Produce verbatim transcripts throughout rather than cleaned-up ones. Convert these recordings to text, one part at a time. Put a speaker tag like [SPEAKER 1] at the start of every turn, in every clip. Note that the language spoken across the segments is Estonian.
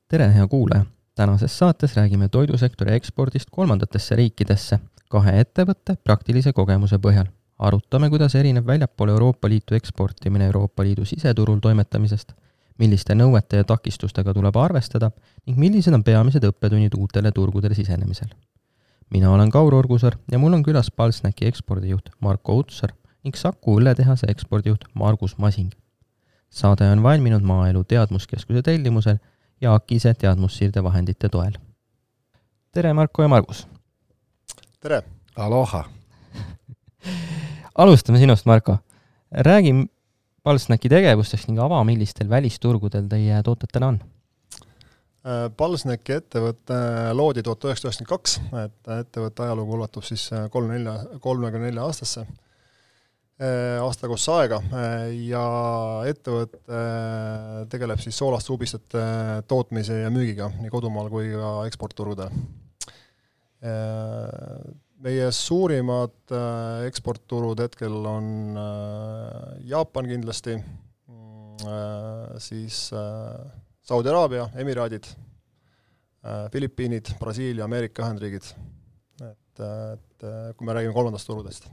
[SPEAKER 1] tere, hea kuulaja! Tänases saates räägime toidusektori ekspordist kolmandatesse riikidesse kahe ettevõtte praktilise kogemuse põhjal. Arutame, kuidas erineb väljapoole Euroopa Liitu eksportimine Euroopa Liidu siseturul toimetamisest, milliste nõuete ja takistustega tuleb arvestada ning millised on peamised õppetunnid uutele turgudele sisenemisel. Mina olen Kaur Orgusar ja mul on külas Palsnäki ekspordijuht Marko Utsar ning Saku õlletehase ekspordijuht Margus Masing. Saade on valminud Maaelu Teadmuskeskuse tellimusel ja Akise teadmussiirde vahendite toel. Tere, Marko ja Margus!
[SPEAKER 2] Tere!
[SPEAKER 3] Aloha!
[SPEAKER 1] Alustame sinust, Marko. Räägi Palsnäki tegevustest ning ava, millistel välisturgudel teie tootetena on.
[SPEAKER 2] Palsnäki ettevõtte loodi tuhat üheksasada üheksakümmend kaks, et ettevõtte ajalugu ulatub siis kolmekümne nelja aastasse aastakossa aega ja ettevõte tegeleb siis soolaste ubistete tootmise ja müügiga nii kodumaal kui ka eksportturgudel. Meie suurimad eksportturud hetkel on Jaapan kindlasti, siis Saudi Araabia, Emiraadid, Filipiinid, Brasiilia, Ameerika Ühendriigid. Et, et kui me räägime kolmandast turudest.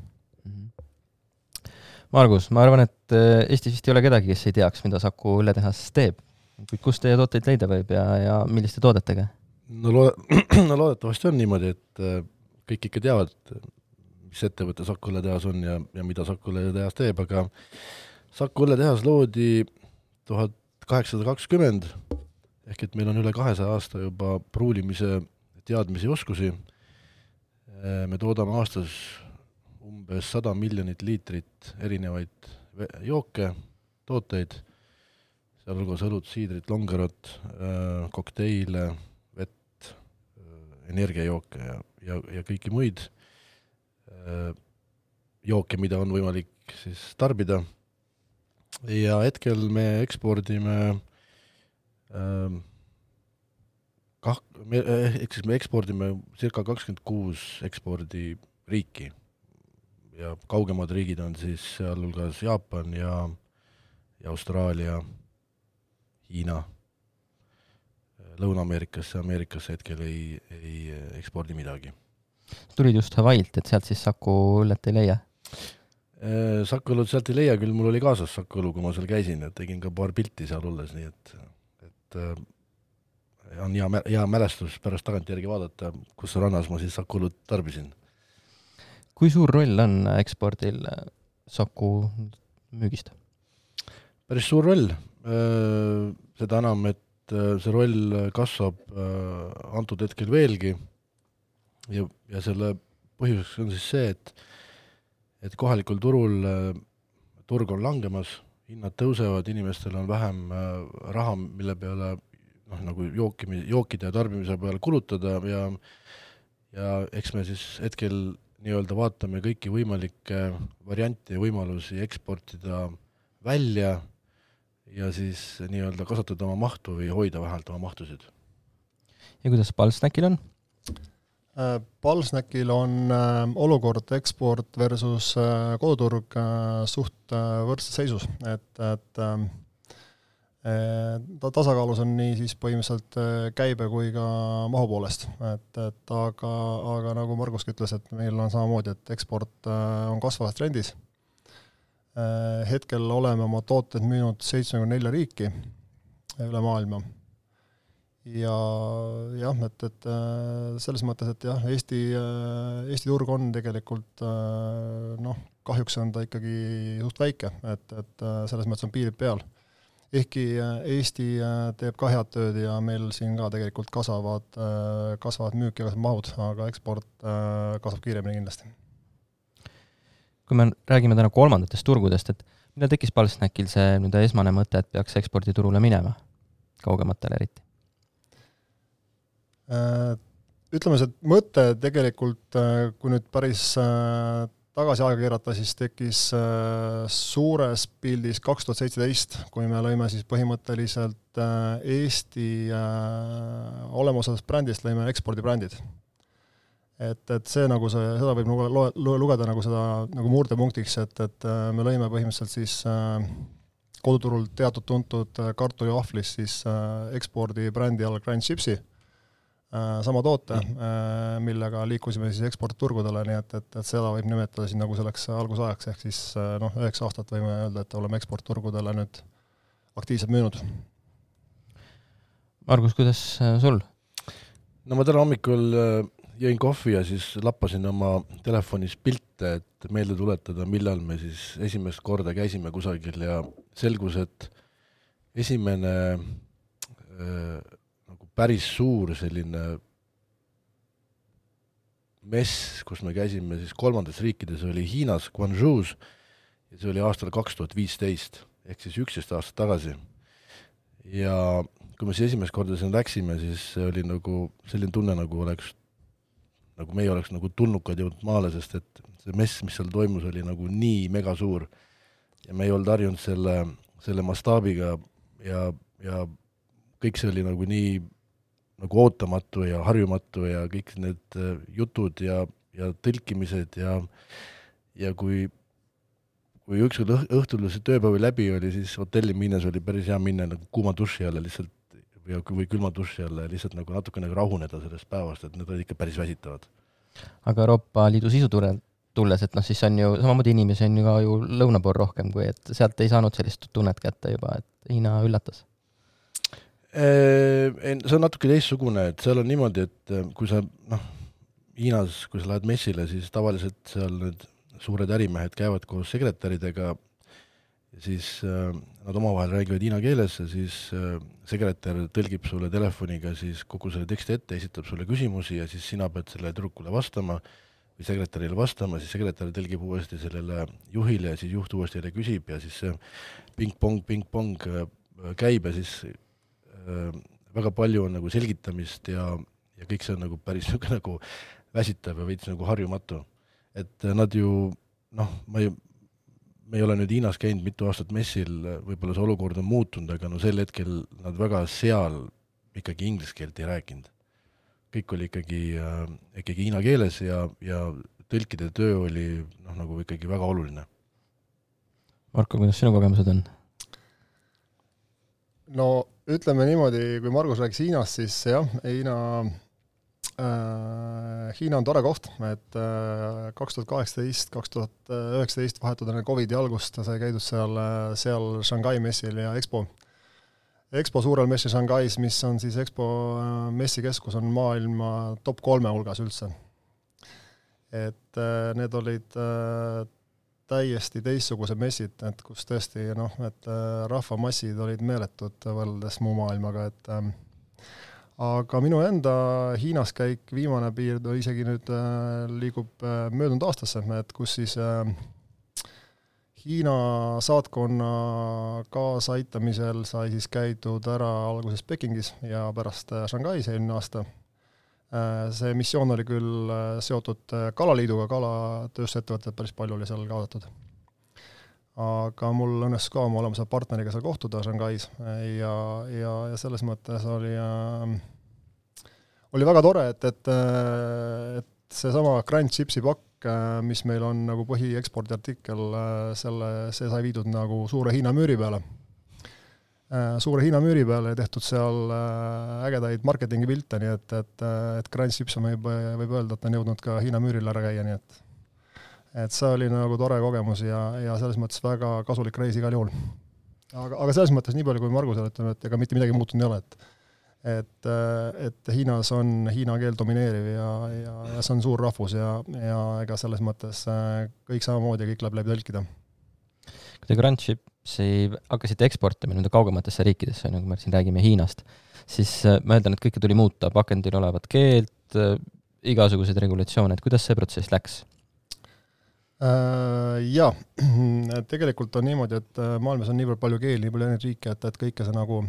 [SPEAKER 1] Margus, ma arvan, et Eestis vist ei ole kedagi, kes ei teaks, mida Saku õlletehas teeb. Kuid kust teie tooteid leida võib ja, ja milliste toodetega?
[SPEAKER 3] No, lo- no loodetavasti on niimoodi, et kõik ikka teavad, mis ettevõte Saku õlletehas on ja, ja mida Saku õlletehas teeb, aga Saku õlletehas loodi tuhat kaheksasada kakskümmend, ehk et meil on üle kahesaja aasta juba pruulimise teadmisi oskusi. Me toodame aastas umbes sada miljonit liitrit erinevaid jooke, tooteid, sealhulgas õlut, siidrit, longerot, kokteile, vett, energiajooke ja, ja, ja kõiki muid jooke, mida on võimalik siis tarbida. Ja hetkel me ekspordime kah, me, ehk siis me ekspordime circa kakskümmend kuus ekspordiriiki. Ja kaugemad riigid on siis sealhulgas Jaapan ja, ja Austraalia, Hiina, Lõuna-Ameerikasse, Ameerikasse hetkel ei, ei ekspordi midagi.
[SPEAKER 1] Tulid just Hawaiilt, et sealt siis Saku õllet ei leia?
[SPEAKER 3] Saku õlut sealt ei leia, küll mul oli kaasas Saku õlu, kui ma seal käisin, et tegin ka paar pilti seal olles, nii et, et on hea, hea mälestus pärast tagantjärgi vaadata, kus rannas ma siis Saku õlut tarbisin.
[SPEAKER 1] Kui suur roll on ekspordil Saku müügist?
[SPEAKER 3] Päris suur roll. Seda enam, et see roll kasvab antud hetkel veelgi ja, ja selle põhjuseks on siis see, et, et kohalikul turul turg on langemas, hinnad tõusevad, inimestel on vähem raha, mille peale noh, nagu jookimi, jookide ja tarbimise peale kulutada ja, ja eks me siis hetkel nii-öelda vaatame kõiki võimalikke variante ja võimalusi eksportida välja ja siis nii-öelda kasvatada oma mahtu või hoida vähelt oma mahtusid.
[SPEAKER 1] Ja kuidas Palsnäkil on?
[SPEAKER 2] Palsnäkil on olukord eksport versus koduturg suht võrdses seisus, et, et ta tasakaalus on nii siis põhimõtteliselt käibe kui ka mahu poolest, et, et aga, aga nagu Marguski ütles, et meil on samamoodi, et eksport on kasvavas trendis. Hetkel oleme oma tooted müünud seitsekümmend neli riiki üle maailma. Ja jah, et, et selles mõttes, et jah, Eesti, Eesti turg on tegelikult noh, kahjuks on ta ikkagi suht väike, et, et selles mõttes on piirid peal. Ehkki Eesti teeb ka head tööd ja meil siin ka tegelikult kasvavad, kasvavad müük ja kasvavad mahud, aga eksport kasvab kiiremini kindlasti.
[SPEAKER 1] Kui me räägime täna kolmandatest turgudest, et mida tekkis Palsnäkil see nüüd esmane mõte, et peaks eksporditurule minema kaugematele eriti?
[SPEAKER 2] Ütleme, see mõte tegelikult, kui nüüd päris tagasi aega keerata, siis tekkis suures pildis kaks tuhat seitseteist, kui me lõime siis põhimõtteliselt Eesti olemusest brändist lõime ekspordibrändid. Et, et see nagu see, seda võib lugeda nagu seda nagu murdepunktiks, et, et me lõime põhimõtteliselt siis koduturul teatud tuntud kartuliahvlis siis ekspordi brändi all Grand Chipsi, sama toote, millega liikusime siis eksportturgudele, nii et, et, et seda võib nimetada siin nagu selleks algusajaks, ehk siis noh, üheksa aastat võime öelda, et oleme eksportturgudele nüüd aktiivselt müünud.
[SPEAKER 1] Margus, kuidas sul?
[SPEAKER 3] No ma täna hommikul jõin kohvi ja siis lappasin oma telefonis pilte, et meelde tuletada, millal me siis esimest korda käisime kusagil ja selgus, et esimene äh, nagu päris suur selline mess, kus me käisime siis kolmandas riikides, oli Hiinas, Guangzhous, ja see oli aastal kaks tuhat viisteist, ehk siis üksteist aastat tagasi. Ja kui me siis esimest korda siin läksime, siis see oli nagu selline tunne, nagu oleks nagu meie oleks nagu tulnukad jõudnud maale, sest et see mess, mis seal toimus, oli nagu nii mega suur ja me ei olnud harjunud selle, selle mastaabiga ja, ja kõik see oli nagu nii nagu ootamatu ja harjumatu ja kõik need jutud ja, ja tõlkimised ja, ja kui, kui ükskord õhtul see tööpäevi läbi oli, siis hotelli minnes oli päris hea minna nagu kuuma duši alla lihtsalt ja või külma duši alla ja lihtsalt nagu natuke nagu rahuneda sellest päevast, et need olid ikka päris väsitavad.
[SPEAKER 1] Aga Euroopa Liidu sisu tulles, et noh, siis on ju samamoodi inimesi on ju ka ju lõuna pool rohkem, kui et sealt ei saanud sellist tunnet kätte juba, et Hiina üllatas?
[SPEAKER 3] See on natuke teistsugune, et seal on niimoodi, et kui sa, noh, Hiinas, kui sa lähed messile, siis tavaliselt seal need suured ärimehed käivad koos sekretäridega ja siis äh, nad omavahel räägivad hiina keeles ja siis äh, sekretär tõlgib sulle telefoniga siis kogu selle teksti ette, esitab sulle küsimusi ja siis sina pead selle tüdrukule vastama või sekretärile vastama, siis sekretär tõlgib uuesti sellele juhile ja siis juht uuesti jälle küsib ja siis see ping-pong, ping-pong äh, käib ja siis äh, väga palju on nagu selgitamist ja, ja kõik see on nagu päris nagu väsitav ja veits nagu harjumatu. Et nad ju, noh, ma ei me ei ole nüüd Hiinas käinud mitu aastat messil, võib-olla see olukord on muutunud, aga no sel hetkel nad väga seal ikkagi inglise keelt ei rääkinud. Kõik oli ikkagi, äh, ikkagi hiina keeles ja, ja tõlkide töö oli noh, nagu ikkagi väga oluline.
[SPEAKER 1] Marko, kuidas sinu kogemused on?
[SPEAKER 2] No ütleme niimoodi, kui Margus rääkis Hiinast, siis jah, Hiina Äh, Hiina on tore koht, et äh, kaks tuhat kaheksateist kaks tuhat üheksateist vahetud enne Covidi algust sai käidud seal, seal Shanghai messil ja Expo. Expo suurel messil Shanghais, mis on siis Expo messikeskus, on maailma top kolme hulgas üldse. Et äh, need olid äh, täiesti teistsugused messid, et kus tõesti, noh, et äh, rahvamassid olid meeletud võrreldes muu maailmaga, et äh, aga minu enda Hiinas käik viimane piir isegi nüüd äh, liigub äh, möödunud aastasse, et kus siis äh, Hiina saatkonna kaasaitamisel sai siis käidud ära alguses Pekingis ja pärast äh, Shanghais eelmine aasta. Äh, see missioon oli küll äh, seotud äh, Kalaliiduga, kalatööstusettevõtted päris palju oli seal kaasatud. Aga mul õnnestus ka oma olemuse partneriga seal kohtuda Shanghais ja, ja, ja selles mõttes oli, äh, oli väga tore, et, et, et see sama Grand Chipsi pakk, mis meil on nagu põhiekspordiartikkel, selle, see sai viidud nagu suure Hiina müüri peale. Suure Hiina müüri peale ja tehtud seal ägedaid marketingi pilte, nii et, et, et Grand Chips võib, võib öelda, et on jõudnud ka Hiina müüril ära käia, nii et et see oli nagu tore kogemus ja, ja selles mõttes väga kasulik reis igal juhul. Aga, aga selles mõttes nii palju, kui Margusel ütleme, et ega mitte midagi muutunud ei ole, et, et, et Hiinas on Hiina keel domineeriv ja, ja, ja see on suur rahvus ja, ja ega selles mõttes kõik samamoodi ja kõik läheb läbi tõlkida.
[SPEAKER 1] Kui te Grand Chipsi hakkasite eksportima nende kaugematesse riikidesse, nagu me siin räägime Hiinast, siis ma eeldan, et kõike tuli muuta, pakendil olevat keelt, igasuguseid regulatsioone, et kuidas see protsess läks?
[SPEAKER 2] Jaa, tegelikult on niimoodi, et maailmas on nii palju keeli, nii palju enne riike, et, et kõike see nagu,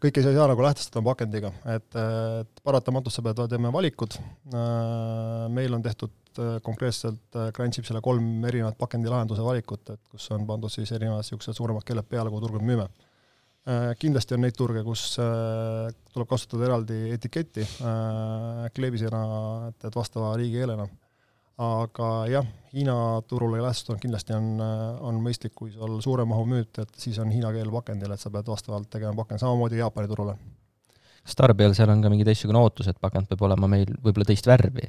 [SPEAKER 2] kõike ei saa nagu lähtestada pakendiga, et, et paratamatult sa pead teeme valikud. Meil on tehtud konkreetselt Grand Chipsile kolm erinevat pakendilahenduse valikut, et kus on pandud siis erinevad siuksed suuremad keeled peale, kui turgud müüme. Kindlasti on neid turge, kus tuleb kasutada eraldi etiketti kleebisena, et, et vastava riigi keelena. aga jah, Hiina turule lähestunud kindlasti on, on mõistlik, kui sul suure mahu müüt, et siis on hiina keel pakendil, et sa pead vastavalt tegema pakend, samamoodi Jaapani turule.
[SPEAKER 1] Kas tarbijal seal on ka mingi teistsugune ootus, et pakend peab olema meil võib-olla teist värvi?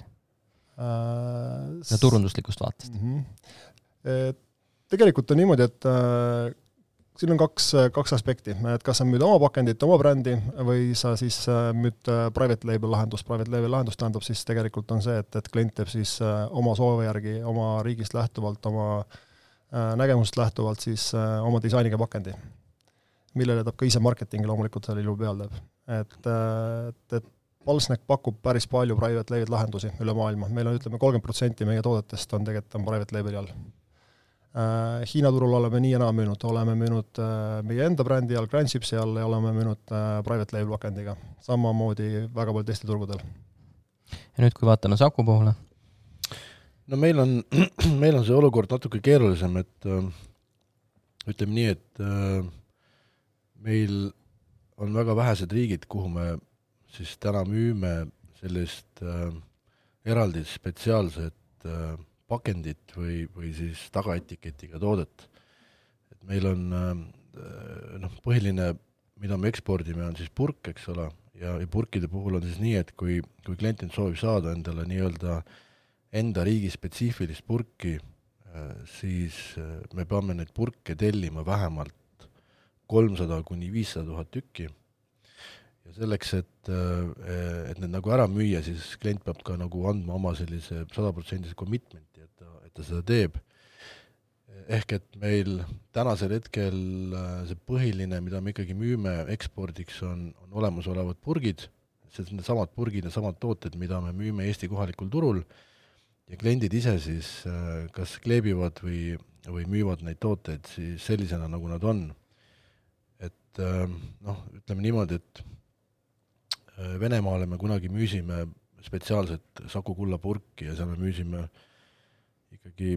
[SPEAKER 2] Äh,
[SPEAKER 1] ja turunduslikust vaatest?
[SPEAKER 2] Mm-hmm. Tegelikult on niimoodi, et äh, siin on kaks, kaks aspekti, et kas sa müüd oma pakendit, oma brändi või sa siis müüd private label lahendust. Private label lahendust tähendab siis tegelikult on see, et, et klient teeb siis oma soovi järgi, oma riigist lähtuvalt, oma nägemusest lähtuvalt siis oma disainiga pakendi, millele ta ka ise marketingi loomulikult selle ilu peal teeb. Et, et, et Palsnek pakub päris palju private label lahendusi üle maailma. Meil on, ütleme, kolmkümmend protsenti meie toodetest on tegelikult on private labeli all. Hiina turul oleme nii enam müünud, oleme müünud meie enda brändi all, Grand Chipsi all ja oleme müünud private label pakendiga. Samamoodi väga palju teiste turgudel.
[SPEAKER 1] Ja nüüd, kui vaatame Saku poole?
[SPEAKER 3] No meil on, meil on see olukord natuke keerulisem, et ütleme nii, et meil on väga vähesed riigid, kuhu me siis täna müüme sellist eraldi spetsiaalset pakendit või, või siis tagaetiketiga toodet. Et meil on noh, põhiline, mida me ekspordime, on siis purk, eks ole, ja, ja purkide puhul on siis nii, et kui, kui klient soovib saada endale nii-öelda enda riigi spetsiifilist purki, siis me peame neid purke tellima vähemalt kolmsada kuni viissada tuhat tükki. Ja selleks, et, et need nagu ära müüa, siis klient peab ka nagu andma oma sellise sada protsenti commitmenti, et ta, et ta seda teeb. Ehk et meil tänasel hetkel see põhiline, mida me ikkagi müüme ekspordiks, on, on olemasolevad purgid, see on samad purgid ja samad tooted, mida me müüme Eesti kohalikul turul, ja kliendid ise siis kas kleebivad või, või müüvad neid tooteid siis sellisena, nagu nad on. Et noh, ütleme niimoodi, et Venemaale me kunagi müüsime spetsiaalset Saku kulla purki ja seal me müüsime ikkagi,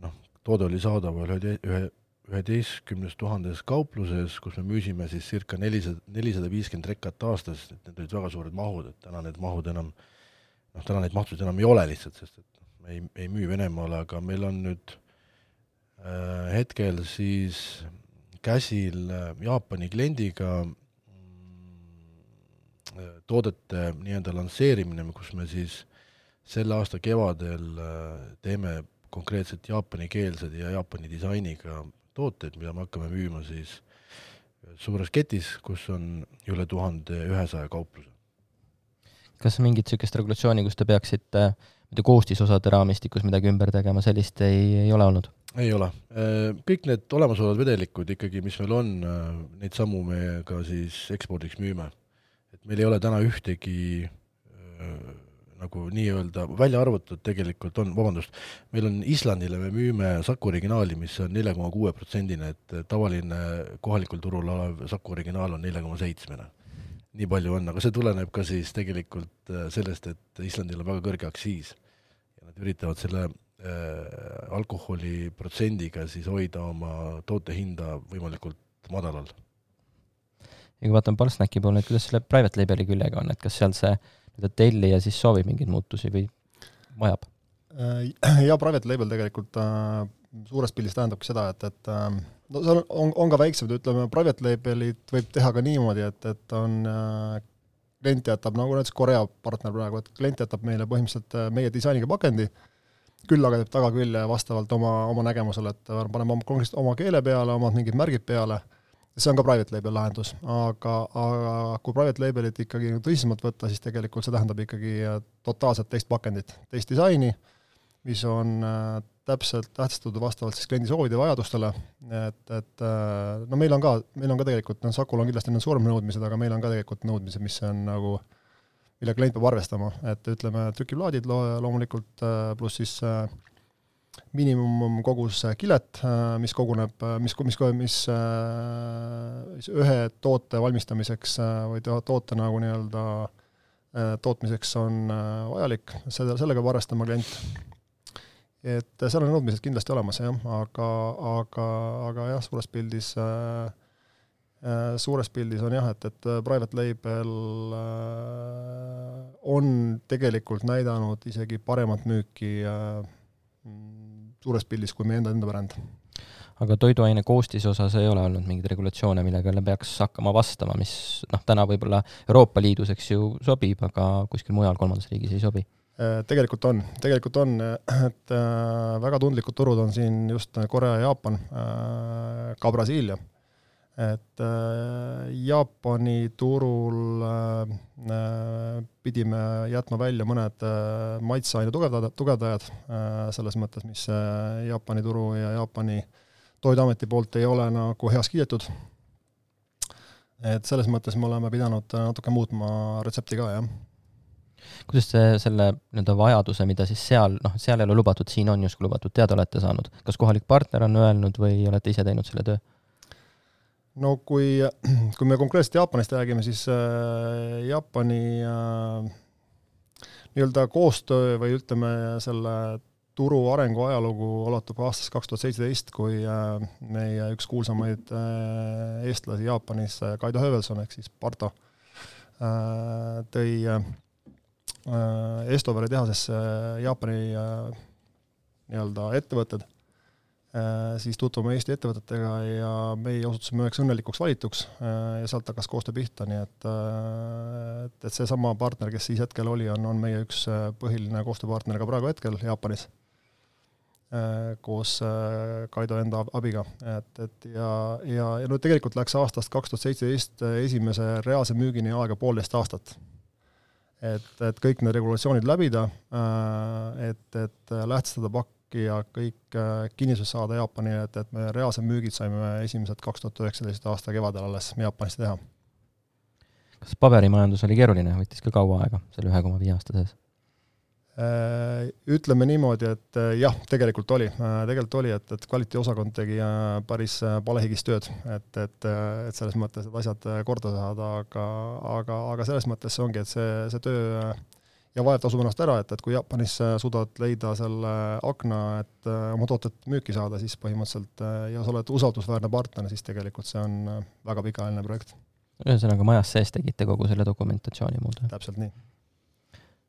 [SPEAKER 3] noh, toode oli saadaval üheteistkümnes tuhandes kaupluses, kus me müüsime siis circa nelisada viiskümmend rekat aastas, et need olid väga suured mahud, et täna need mahud enam, noh, täna neid mahtusid enam ei ole lihtsalt, sest et me ei, ei müü Venemaale, aga meil on nüüd äh, hetkel siis käsil Jaapani kliendiga toodete nii-enda lansseerimine, kus me siis selle aasta kevadel teeme konkreetselt jaapanikeelsed ja Jaapani disainiga tooteid, mida me hakkame müüma siis suures ketis, kus on üle tuhande ühesaja kaupluse.
[SPEAKER 1] Kas mingit sükest regulatsiooni, kus te peaksite koostisosade raamistikus midagi ümber tegema, sellist ei, ei ole olnud?
[SPEAKER 3] Ei ole. Kõik need olemasolevad vedelikud ikkagi, mis meil on, neid sammu me ka siis ekspordiks müüme. Et meil ei ole täna ühtegi äh, nagu nii-öelda välja arvatud tegelikult on, vabandust, meil on Islandile, me müüme Saku originaali, mis on neli koma kuus protsenti, et tavaline kohalikul turul olev Saku originaal on neli koma seitse. Nii palju on, aga see tuleneb ka siis tegelikult sellest, et Islandil on väga kõrge aksiis ja nad üritavad selle äh, alkoholi protsendiga siis hoida oma toote hinda võimalikult madalal.
[SPEAKER 1] Ja kui vaatan Palsnäki poole, et kuidas selle private labeli küljega on, et kas seal see telli ja siis soovib mingeid muutusi või vajab?
[SPEAKER 2] Ja private label tegelikult äh, suures pildis tähendabki seda, et, et äh, no, seal on, on ka väiksed, ütleme, private labelit võib teha ka niimoodi, et, et on äh, klient jätab, nagu näiteks Korea partner praegu, et klient jätab meile põhimõtteliselt meie disainiga pakendi, küll aga teeb tagakülje vastavalt oma, oma nägemusele, et paneme oma, oma keele peale, omad mingid märgid peale. See on ka private label lahendus, aga, aga kui private labelit ikkagi tõsisemalt võtta, siis tegelikult see tähendab ikkagi totaalselt teist pakendit, teist disaini, mis on äh, täpselt tähtsatud vastavalt siis kliendi soovide ja vajadustele, et, et äh, no meil on ka, meil on ka tegelikult, no Sakul on kindlasti suurem nõudmised, aga meil on ka tegelikult nõudmised, mis on nagu, mille klient peab arvestama, et ütleme, trükiplaadid lo- loomulikult äh, pluss siis äh, miinimum kogus kilet, mis koguneb, mis, mis, mis, mis ühe toote valmistamiseks või toote nagu nii-öelda tootmiseks on vajalik, selle, sellega peab arvestama klient. Et seal on nõudmised kindlasti olemas, jah, aga, aga, aga jah, suures pildis, suures pildis on jah, et, et private label on tegelikult näidanud isegi paremat müüki suures pildis kui meie enda enda bränd.
[SPEAKER 1] Aga toiduaine koostise osas ei ole olnud mingeid regulatsioone, millega peaks hakkama vastama, mis noh, täna võib-olla Euroopa Liidus, eks ju, sobib, aga kuskil mujal kolmandas riigis ei sobi?
[SPEAKER 2] Tegelikult on, tegelikult on, et väga tundlikud turud on siin just Korea ja Jaapan, ka Brasiilia. Et Jaapani turul pidime jätma välja mõned maitseaine tugevdajad, tugevdajad selles mõttes, mis Jaapani turu ja Jaapani toiduameti poolt ei ole nagu heas kiidetud. Et selles mõttes me oleme pidanud natuke muutma retsepti ka, jah.
[SPEAKER 1] Kuidas see selle nii-öelda vajaduse, mida siis seal, noh, seal ei ole lubatud, siin on justkui lubatud, teada olete saanud? Kas kohalik partner on öelnud või olete ise teinud selle töö?
[SPEAKER 2] No kui, kui me konkreetselt Jaapanist räägime, siis Jaapani nii-öelda koostöö või ütleme selle turu arengu ajalugu ulatub aastast kaks tuhat seitseteist, kui meie üks kuulsamaid eestlasi Jaapanis, Kaido Hövelson, ehk siis Parto, tõi Estoveri tehasesse Jaapani nii-öelda ettevõtted, siis tutvume Eesti ettevõtetega ja meie osutusime üheks õnnelikuks valituks ja sealt hakkas koostöö pihta, nii et, et see sama partner, kes siis hetkel oli, on, on meie üks põhiline koostööpartner ka praegu hetkel Jaapanis koos Kaido enda abiga. Et, et ja, ja, ja no tegelikult läks aastast kaks tuhat seitseteist esimese reaalse müügini aega poolteist aastat. Et, et kõik need regulatsioonid läbida, et, et lähtstada pakki ja kõik kinnisus saada Jaapani, et, et me reaalse müügid saime esimesed kaks tuhat üheksateist aasta kevadel alles Jaapanis teha.
[SPEAKER 1] Kas paberimajandus oli keeruline, võttis ka kaua aega selle ühe koma viie aasta sees?
[SPEAKER 2] Ütleme niimoodi, et jah, tegelikult oli. Tegelikult oli, et, et kvaliteediosakond tegi päris palehigist tööd, et, et, et selles mõttes, et asjad korda saada, aga, aga, aga selles mõttes see ongi, et see, see töö ja vajab tasub ennast ära, et, et kui Jaapanis suudad leida selle akna, et oma tootet müüki saada, siis põhimõtteliselt ja sa oled usaldusväärne partner, siis tegelikult see on väga pikaajaline projekt.
[SPEAKER 1] Ühesõnaga majas sees tegite kogu selle dokumentatsiooni muud?
[SPEAKER 2] Täpselt nii.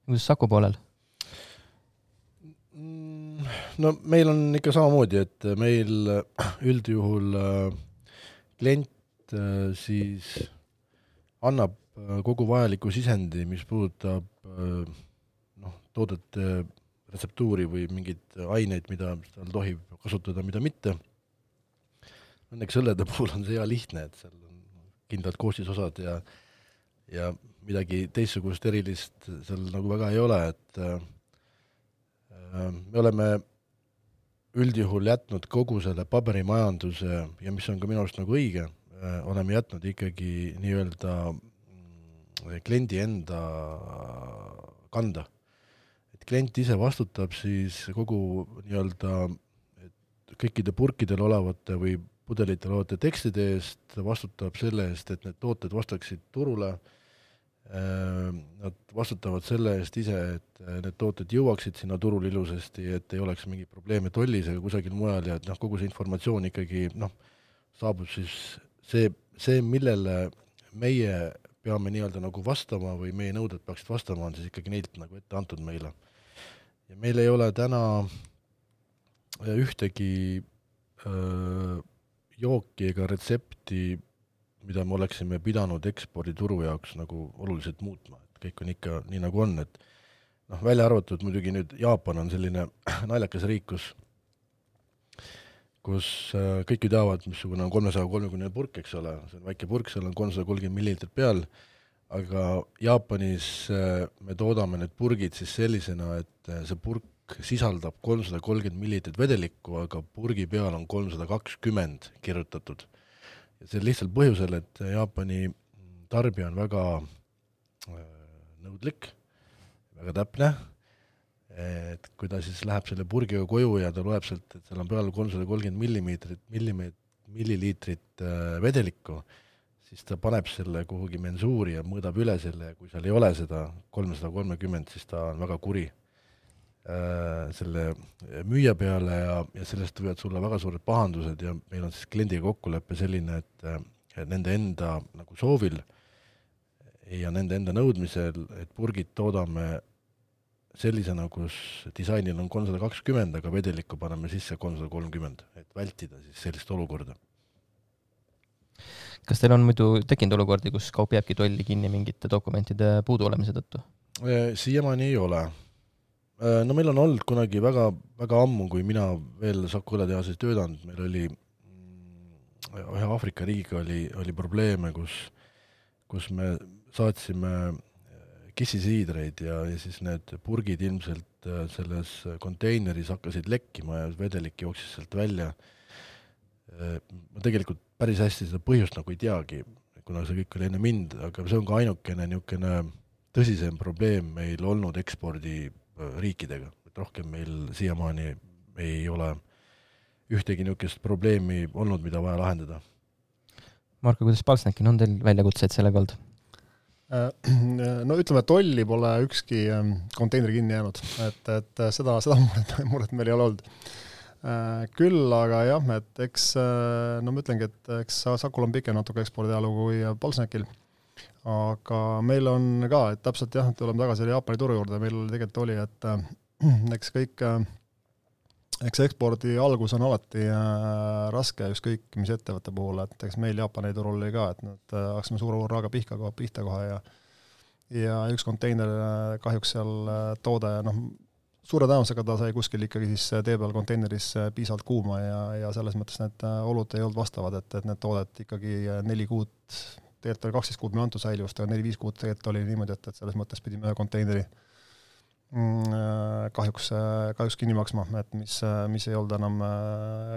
[SPEAKER 1] Kuidas Saku poolel?
[SPEAKER 3] No meil on ikka samamoodi, et meil üldjuhul klient siis annab kogu vajaliku sisendi, mis puudutab noh, toodete retseptuuri või mingeid aineid, mida tal tohib kasutada, mida mitte. Õnneks õllede puhul on see hea lihtne, et seal on kindlad koostisosad ja, ja midagi teistsugust erilist seal nagu väga ei ole, et me oleme üldjuhul jätnud kogu selle paberimajanduse ja mis on ka minu arust nagu õige, oleme jätnud ikkagi nii-öelda kliendi enda kanda. Et klient ise vastutab siis kogu nii-öelda kõikide purkidel olevate või pudelitel olevate tekstide eest, vastutab selle eest, et need tooted vastaksid turule. Nad vastutavad selle eest ise, et need tooted jõuaksid sinna turul ilusasti, et ei oleks mingi probleeme tollis ega kusagil mujal ja et noh, kogu see informatsioon ikkagi noh, saabub siis see, see, millele meie peame nii-öelda nagu vastama või meie nõuded peaksid vastama, on siis ikkagi neilt nagu ette antud meile. Ja meil ei ole täna ühtegi öö, jooki ega retsepti, mida me oleksime pidanud ekspordituru jaoks nagu oluliselt muutma, et kõik on ikka nii nagu on, et noh, välja arvatud muidugi nüüd Jaapan on selline naljakas riik, kus, kus kõik ju teavad, missugune on kolmesaja kolmekümne purk, eks ole, see on väike purk, seal on kolmsada kolmkümmend milliliitrit peal, aga Jaapanis me toodame need purgid siis sellisena, et see purk sisaldab kolmsada kolmkümmend milliliitrit vedelikku, aga purgi peal on kolmsada kakskümmend kirjutatud. Ja see lihtsalt põhjusel, et Jaapani tarbija on väga nõudlik, väga täpne, et kui ta siis läheb selle purgiga koju ja ta loeb sealt, et seal on peal kolmsada kolmkümmend milliliitrit vedelikku, siis ta paneb selle kuhugi mensuuri ja mõõdab üle selle ja kui seal ei ole seda kolmsada kolmkümmend, siis ta on väga kuri selle müüja peale ja, ja sellest võivad sulle väga suured pahandused ja meil on siis kliendiga kokkuleppe selline, et, et nende enda nagu soovil ja nende enda nõudmisel, et purgid toodame sellisena, kus disainil on kolmsada kakskümmend, aga vedelikku paneme sisse kolmsada kolmkümmend, et vältida siis sellist olukorda.
[SPEAKER 1] Kas teil on muidu tekkinud olukordi, kus kaup jääbki tolli kinni mingite dokumentide puudu olemise tõttu?
[SPEAKER 3] Siiamaani ei ole. No meil on olnud kunagi väga, väga ammu, kui mina veel Saku õletehases töötanud, meil oli ühe Aafrika riigiga oli, oli probleeme, kus, kus me saatsime kissisiidreid ja, ja siis need purgid ilmselt selles konteineris hakkasid lekkima ja vedelik jooksis sealt välja. Ma tegelikult päris hästi seda põhjust nagu ei teagi, kuna see kõik oli enne mind, aga see on ka ainukene niisugune tõsisem probleem meil olnud ekspordi riikidega, et rohkem meil siiamaani ei ole ühtegi niisugust probleemi olnud, mida vaja lahendada.
[SPEAKER 1] Marko, kuidas Palsnäkin, on teil väljakutseid sellega olnud?
[SPEAKER 2] No ütleme, tolli pole ükski konteineri kinni jäänud, et, et seda, seda muret, muret meil ei ole olnud. Küll, aga jah, et eks, no ma ütlengi, et eks Sakul on pikem natuke ekspordialugu kui Palsnäkil, aga meil on ka, et täpselt jah, tuleme tagasi Jaapani turu juurde, meil tegelikult oli, et eks kõik eks ekspordi algus on alati äh, raske ükskõik mis ettevõtte puhul, et eks meil Jaapani turul oli ka, et nad äh, hakkasime suure raaga pihka kohe, pihta kohe ja ja üks konteiner äh, kahjuks seal äh, toode, noh, suure tõenäosusega ta sai kuskil ikkagi siis tee peal konteineris äh, piisavalt kuuma ja, ja selles mõttes need äh, olud ei olnud vastavad, et, et need toodet ikkagi äh, neli kuud, tegelikult oli kaksteist kuud meil antud säilivust, aga neli-viis kuud tegelikult oli niimoodi, et, et selles mõttes pidime ühe konteineri kahjuks, kahjuks kinni maksma, et mis, mis ei olnud enam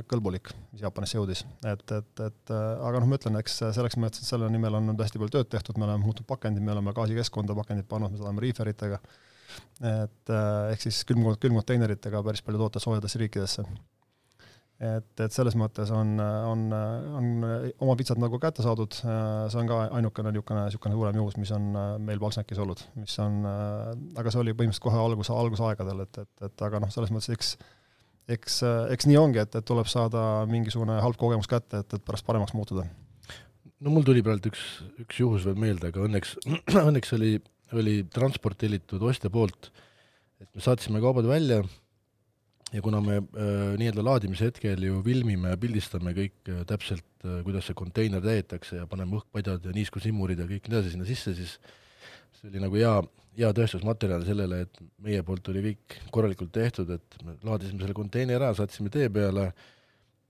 [SPEAKER 2] kõlbulik, mis Jaapanisse jõudis. Et, et, et, aga noh, ma ütlen, eks selleks mõttes, et selle nimel on hästi palju tööd tehtud, me oleme muutnud pakendid, me oleme gaasikeskkonda pakendid pannud, me oleme reeferitega, et ehk siis külmkonteineritega päris palju toote soojadesse riikidesse. Et, et selles mõttes on, on, on oma pitsad nagu kätte saadud, see on ka ainukene niisugune, niisugune suurem juhus, mis on meil Palsnäkis olnud, mis on, aga see oli põhimõtteliselt kohe algus, algusaegadel, et, et, et aga noh, selles mõttes eks, eks, eks nii ongi, et, et tuleb saada mingisugune halb kogemus kätte, et, et pärast paremaks muutuda.
[SPEAKER 3] No mul tuli praegu üks, üks juhus veel meelde, aga õnneks, õnneks oli, oli transport tellitud ostja poolt, et me saatsime kaubad välja. Ja kuna me äh, nii-öelda laadimise hetkel ju filmime ja pildistame kõik äh, täpselt, äh, kuidas see konteiner täietakse ja paneme õhkpadjad ja niiskusimurid ja kõik nii sinna sisse, siis see oli nagu hea, hea tõestusmaterjal sellele, et meie poolt oli kõik korralikult tehtud, et me laadisime selle konteiner ära, saatsime tee peale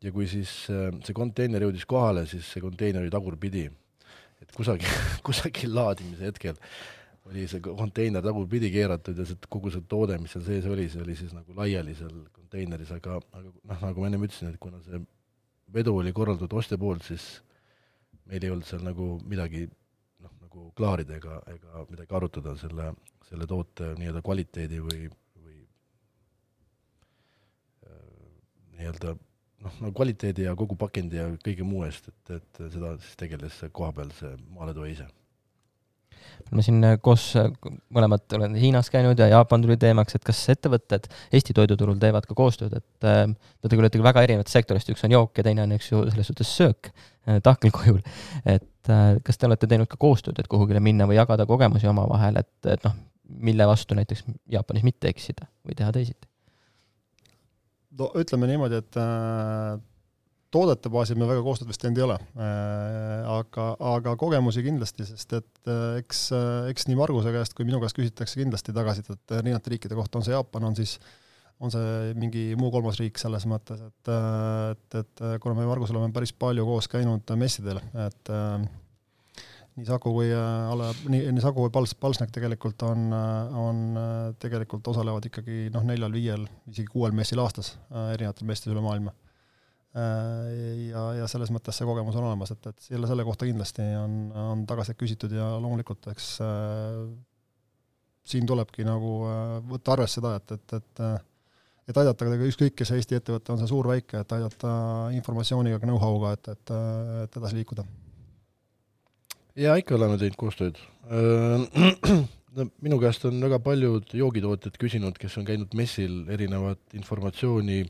[SPEAKER 3] ja kui siis äh, see konteiner jõudis kohale, siis see konteiner oli tagurpidi. Et kusagil, kusagil laadimise hetkel oli see konteiner tagurpidi keeratud ja see, kogu see toode, mis seal sees oli, see oli siis nagu laiali seal konteineris, aga, aga noh, nagu ma enne ütlesin, et kuna see vedu oli korraldatud ostja poolt, siis meil ei olnud seal nagu midagi noh, nagu klaarida ega, ega midagi arutada selle, selle toote nii-öelda kvaliteedi või, või äh, nii-öelda noh, nagu kvaliteedi ja kogu pakendi ja kõige muu eest, et, et seda siis tegeles koha peal see maaletoe ise.
[SPEAKER 1] Ma siin koos mõlemad olen Hiinas käinud ja Jaapan tuli teemaks, et kas ettevõtted Eesti toiduturul teevad ka koostööd, et äh, te olete väga erinevat sektorist, üks on jook ja teine on üks ju selles suhtes söök äh, tahkelkujul, et äh, kas te olete teinud ka koostööd, et kuhugile minna või jagada kogemusi oma vahel, et, et noh, mille vastu näiteks Jaapanis mitte eksida või teha teisiti?
[SPEAKER 2] No, ütleme niimoodi, et äh, toodete baasil me väga koostööd vist teinud ei ole, aga, aga kogemusi kindlasti, sest et eks, eks nii Marguse käest kui minu käest küsitakse kindlasti tagasi, et erinevate riikide kohta on see Jaapan, on siis on see mingi muu kolmas riik selles mõttes, et, et, et kuna me Margusel oleme päris palju koos käinud messidel, et nii Saku kui, nii, nii Saku kui Pals, Palsnäk tegelikult on, on tegelikult osalevad ikkagi noh, neljal, viiel, isegi kuuel messil aastas erinevatel messidel üle maailma. Ja, ja selles mõttes see kogemus on olemas, et, et selle, selle kohta kindlasti on, on tagasi küsitud ja loomulikult eks äh, siin tulebki nagu äh, võtta arvesse seda, et, et, et, et aidata ükskõik, kes Eesti ettevõtte on see suur väike, et aidata informatsiooniga, know-how'ga, et, et, et edasi liikuda.
[SPEAKER 3] Ja ikka oleme teinud koostööd. Minu käest on väga paljud joogitootjad küsinud, kes on käinud messil erinevat informatsiooni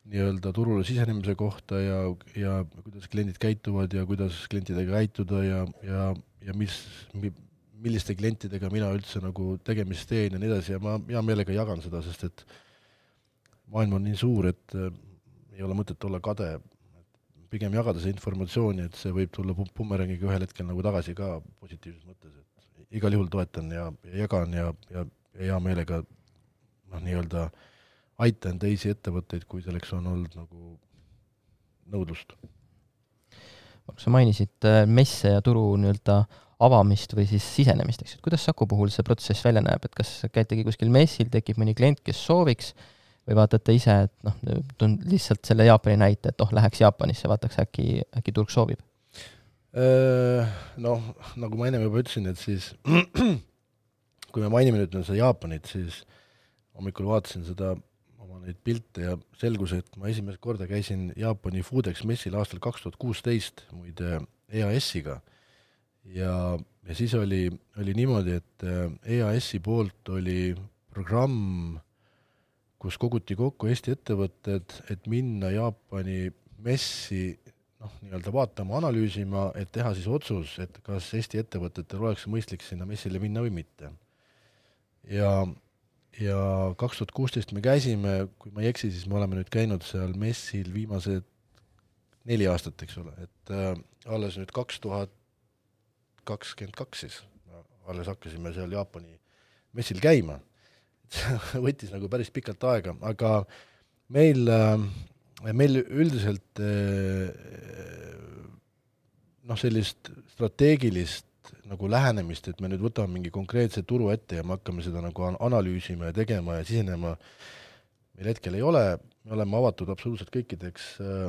[SPEAKER 3] nii-öelda turule sisenemise kohta ja, ja kuidas kliendid käituvad ja kuidas klientidega käituda ja, ja, ja mis, milliste klientidega mina üldse nagu tegemist teen ja nii edasi ja ma hea meelega jagan seda, sest et maailm on nii suur, et ei ole mõtet olla kade, pigem jagada see informatsiooni, et see võib tulla bumerangiga ühel hetkel nagu tagasi ka positiivses mõttes, et igal juhul toetan ja, ja jagan ja, ja, ja hea meelega noh, nii-öelda aitan teisi ettevõtteid, kui selleks on olnud nagu nõudlust.
[SPEAKER 1] Sa mainisid messe ja turu nii-öelda avamist või siis sisenemist, eks, et kuidas Saku puhul see protsess välja näeb, et kas käitegi kuskil messil, tekib mõni klient, kes sooviks, või vaatate ise, et noh, tund lihtsalt selle Jaapani näite, et oh, läheks Jaapanisse, vaataks äkki, äkki turg soovib?
[SPEAKER 3] Noh, nagu ma enne juba ütlesin, et siis kui me mainime nüüd seda Jaapanit, siis hommikul vaatasin seda oma neid pilte ja selgus, et ma esimest korda käisin Jaapani Foodex messil aastal kaks tuhat kuusteist muide E A S-iga ja, ja siis oli, oli niimoodi, et E A S-i poolt oli programm, kus koguti kokku Eesti ettevõtted, et minna Jaapani messi noh, nii-öelda vaatama, analüüsima, et teha siis otsus, et kas Eesti ettevõtetel oleks mõistlik sinna messile minna või mitte. Ja, ja kaks tuhat kuusteist me käisime, kui ma ei eksi, siis me oleme nüüd käinud seal messil viimased neli aastat, eks ole, et äh, alles nüüd kaks tuhat kakskümmend kaks siis, alles hakkasime seal Jaapani messil käima. Võttis nagu päris pikalt aega, aga meil, meil üldiselt noh, sellist strateegilist nagu lähenemist, et me nüüd võtame mingi konkreetse turu ette ja me hakkame seda nagu analüüsima ja tegema ja sisenema, meil hetkel ei ole, me oleme avatud absoluutselt kõikideks äh,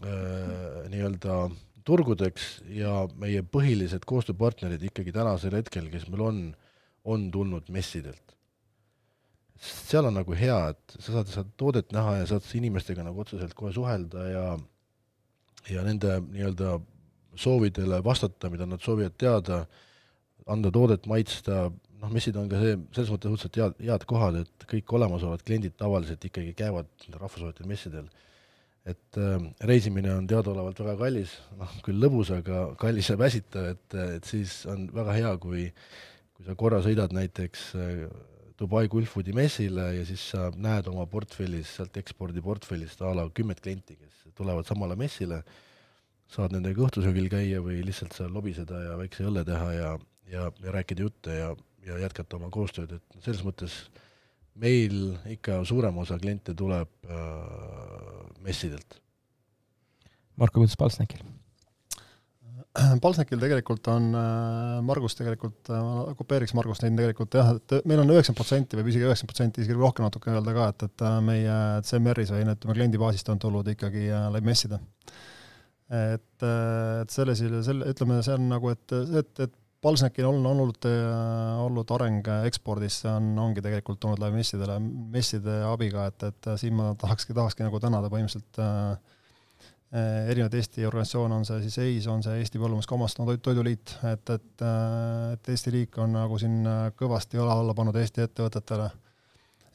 [SPEAKER 3] äh, nii-öelda turgudeks ja meie põhilised koostööpartnerid ikkagi tänasel hetkel, kes meil on, on tulnud messidelt. Seal on nagu hea, et sa saad, saad toodet näha ja saad inimestega nagu otseselt kohe suhelda ja, ja nende nii-öelda soovidele vastata, mida nad soovivad teada, anda toodet, maitsta, noh, messid on ka see, selles mõttes õudselt head, head kohad, et kõik olemasolevad kliendid tavaliselt ikkagi käivad rahvusvahelistel messidel. Et äh, reisimine on teadaolevalt väga kallis, noh, küll lõbus, aga kallis ja väsitav, et, et siis on väga hea, kui, kui sa korra sõidad näiteks äh, Dubai Gulfoodi messile ja siis sa näed oma portfellis, sealt ekspordiportfellist a la kümmet klienti, kes tulevad samale messile, saad nendega õhtusöögil käia või lihtsalt seal lobiseda ja väikse õlle teha ja, ja, ja rääkida jutte ja, ja jätkata oma koostööd, et selles mõttes meil ikka suurem osa kliente tuleb äh, messidelt.
[SPEAKER 1] Marko, kuidas Palsnekil?
[SPEAKER 2] Palsnekil tegelikult on, Margus tegelikult, kopeeriks Margust neid tegelikult jah, et meil on üheksakümmend protsenti või isegi üheksakümmend protsenti, isegi rohkem natuke öelda ka, et, et meie C M R-is või ütleme kliendibaasist on tulnud ikkagi läbi messida. Et, et selles, selle, ütleme, see on nagu, et, et, et Palsnekil on olnud, olnud areng ekspordis, see on, ongi tegelikult tulnud läbi messidele, messide abiga, et, et siin ma tahakski, tahakski nagu tänada põhimõtteliselt erinevad Eesti organisatsioon, on see siis E I S, on see Eesti Põllumajanduskomaston Toiduliit, et, et, et Eesti liik on nagu siin kõvasti õla alla pannud Eesti ettevõtetele,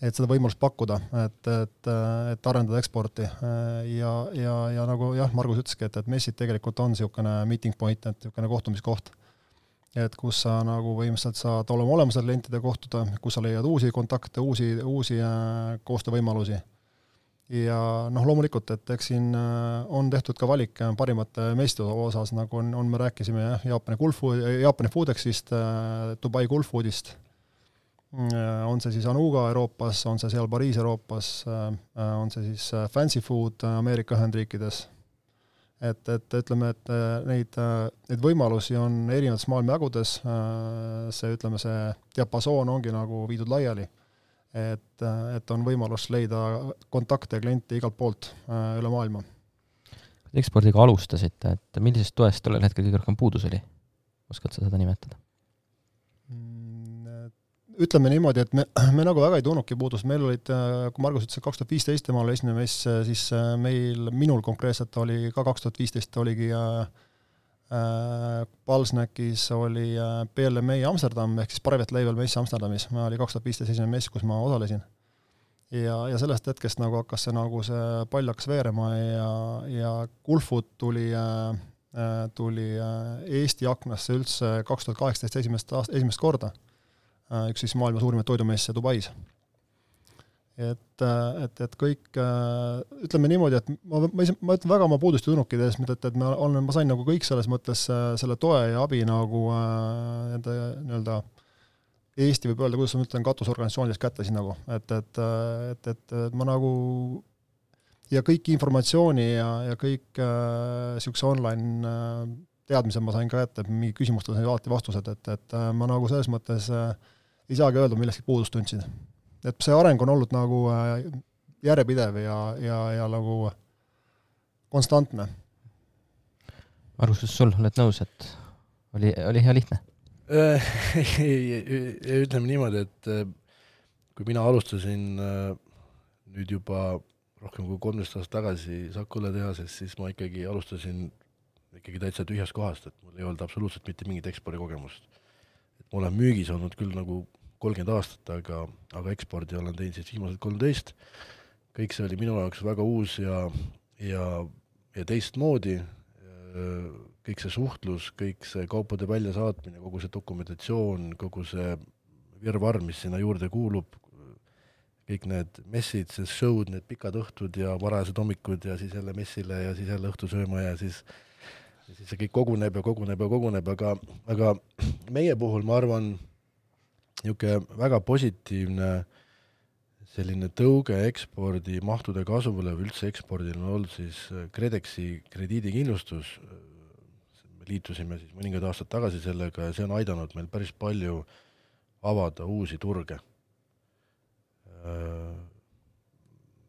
[SPEAKER 2] et seda võimalust pakkuda, et, et, et arendada eksporti ja, ja, ja nagu jah, Margus ütleski, et, et messid tegelikult on niisugune meeting point, et niisugune kohtumiskoht, et kus sa nagu võimaliselt saad olema olemasel klientide kohtuda, kus sa leiad uusi kontakte, uusi, uusi koostöövõimalusi. Ja noh, loomulikult, et eks siin on tehtud ka valik parimate messide osas, nagu on, on me rääkisime jah, Jaapani, Gulfood, Jaapani Foodexist, Dubai Gulfoodist, on see siis Anuga Euroopas, on see seal Pariis Euroopas, on see siis Fancy Food Ameerika Ühendriikides. Et, et ütleme, et neid, neid võimalusi on erinevates maailmajagudes, see, ütleme, see diapasoon ongi nagu viidud laiali. Et, et on võimalus leida kontakte ja kliente igalt poolt äh, üle maailma.
[SPEAKER 1] Ekspordiga alustasite, et millisest toest tollel hetkel kõige rohkem puudus oli? Oskad sa seda nimetada?
[SPEAKER 2] Ütleme niimoodi, et me, me nagu väga ei tunnudki puudust. Meil olid, kui Margus ütles, kaks tuhat viisteist temal esimene mess, siis meil, minul konkreetselt oli ka kaks tuhat viisteist oligi äh, Palsnekis oli P L M A Amsterdam, ehk siis Private Label mess Amsterdamis, ma oli kaks tuhat viisteist esimene mess, kus ma osalesin. Ja, ja sellest hetkest nagu hakkas see, nagu see pall hakkas veerema ja, ja Gulfood tuli, tuli Eesti aknasse üldse kaks tuhat kaheksateist esimest, aast, esimest korda, üks siis maailma suurimaid toidumesse Dubais. Et, et, et kõik, ütleme niimoodi, et ma, ma, ma ütlen väga oma puudusti tunnukid ees, et, et ma, olen, ma sain nagu kõik selles mõttes selle toe ja abi nagu nende nii-öelda Eesti võib öelda, kuidas ma ütlen, katusorganisatsioonidest kätte siin nagu, et, et, et, et, et ma nagu ja kõik informatsiooni ja, ja kõik äh, siukse online äh, teadmise ma sain ka ette, mingi küsimustel sain alati vastused, et, et äh, ma nagu selles mõttes äh, ei saagi öelda, millestki puudust tundsin. Et see areng on olnud nagu äh, järjepidev ja, ja, ja nagu konstantne.
[SPEAKER 1] Arvustus sul, oled nõus, et oli, oli hea lihtne?
[SPEAKER 3] Ütleme niimoodi, et kui mina alustasin nüüd juba rohkem kui kolmteist aastat tagasi Sakula tehases, siis ma ikkagi alustasin ikkagi täitsa tühjast kohast, et mul ei olnud absoluutselt mitte mingit ekspordikogemust. Et ma olen müügis olnud küll nagu kolmkümmend aastat, aga, aga ekspordi olen teinud siis viimased kolmteist. Kõik see oli minu jaoks väga uus ja, ja, ja teistmoodi. Kõik see suhtlus, kõik see kaupade väljasaatmine, kogu see dokumentatsioon, kogu see virvarr, mis sinna juurde kuulub, kõik need messid, see show'd, need pikad õhtud ja varajased hommikud ja siis jälle messile ja siis jälle õhtu sööma ja siis, ja siis see kõik koguneb ja koguneb ja koguneb, aga, aga meie puhul ma arvan, niisugune väga positiivne selline tõuge ekspordi mahtude kasvule või üldse ekspordil on olnud siis Kredexi krediidikindlustus. Me liitusime siis mõningad aastad tagasi sellega ja see on aidanud meil päris palju avada uusi turge.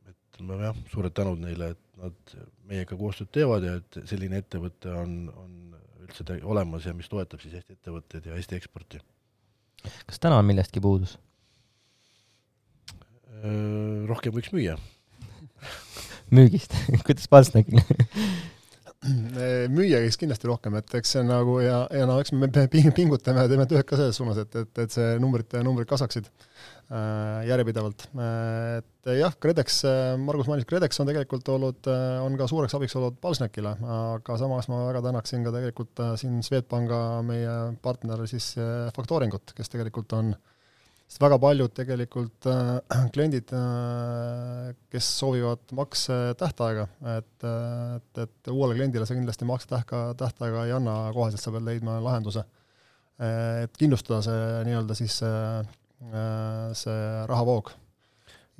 [SPEAKER 3] Et ma jah, suured tänud neile, et nad meiega koostööd teevad ja et selline ettevõte on, on üldse olemas ja mis toetab siis Eesti ettevõtteid ja Eesti eksporti.
[SPEAKER 1] Kas täna on millestki puudus?
[SPEAKER 3] Rohkem võiks müüa.
[SPEAKER 1] Müügist? Kuidas Palsnäkil?
[SPEAKER 2] Müüa käis kindlasti rohkem, et eks see nagu ja, ja no, eks me pingutame ja teeme tööd ka selles suunas, et, et, et see numbrid, numbrid kasaksid äh, järjepidevalt. Et jah, Kredex, Margus mainis, Kredex on tegelikult olnud, on ka suureks abiks olnud Palsnäkile, aga samas ma väga tänaksin ka tegelikult siin Swedbanka meie partner siis Faktoringut, kes tegelikult on sest väga paljud tegelikult äh, kliendid, äh, kes soovivad makse tähtaega, et, et, et uuele kliendile see kindlasti makse tähka, tähtaega ei anna koheselt, sa pead leidma lahenduse. Et kindlustada see nii-öelda siis äh, see rahavoog.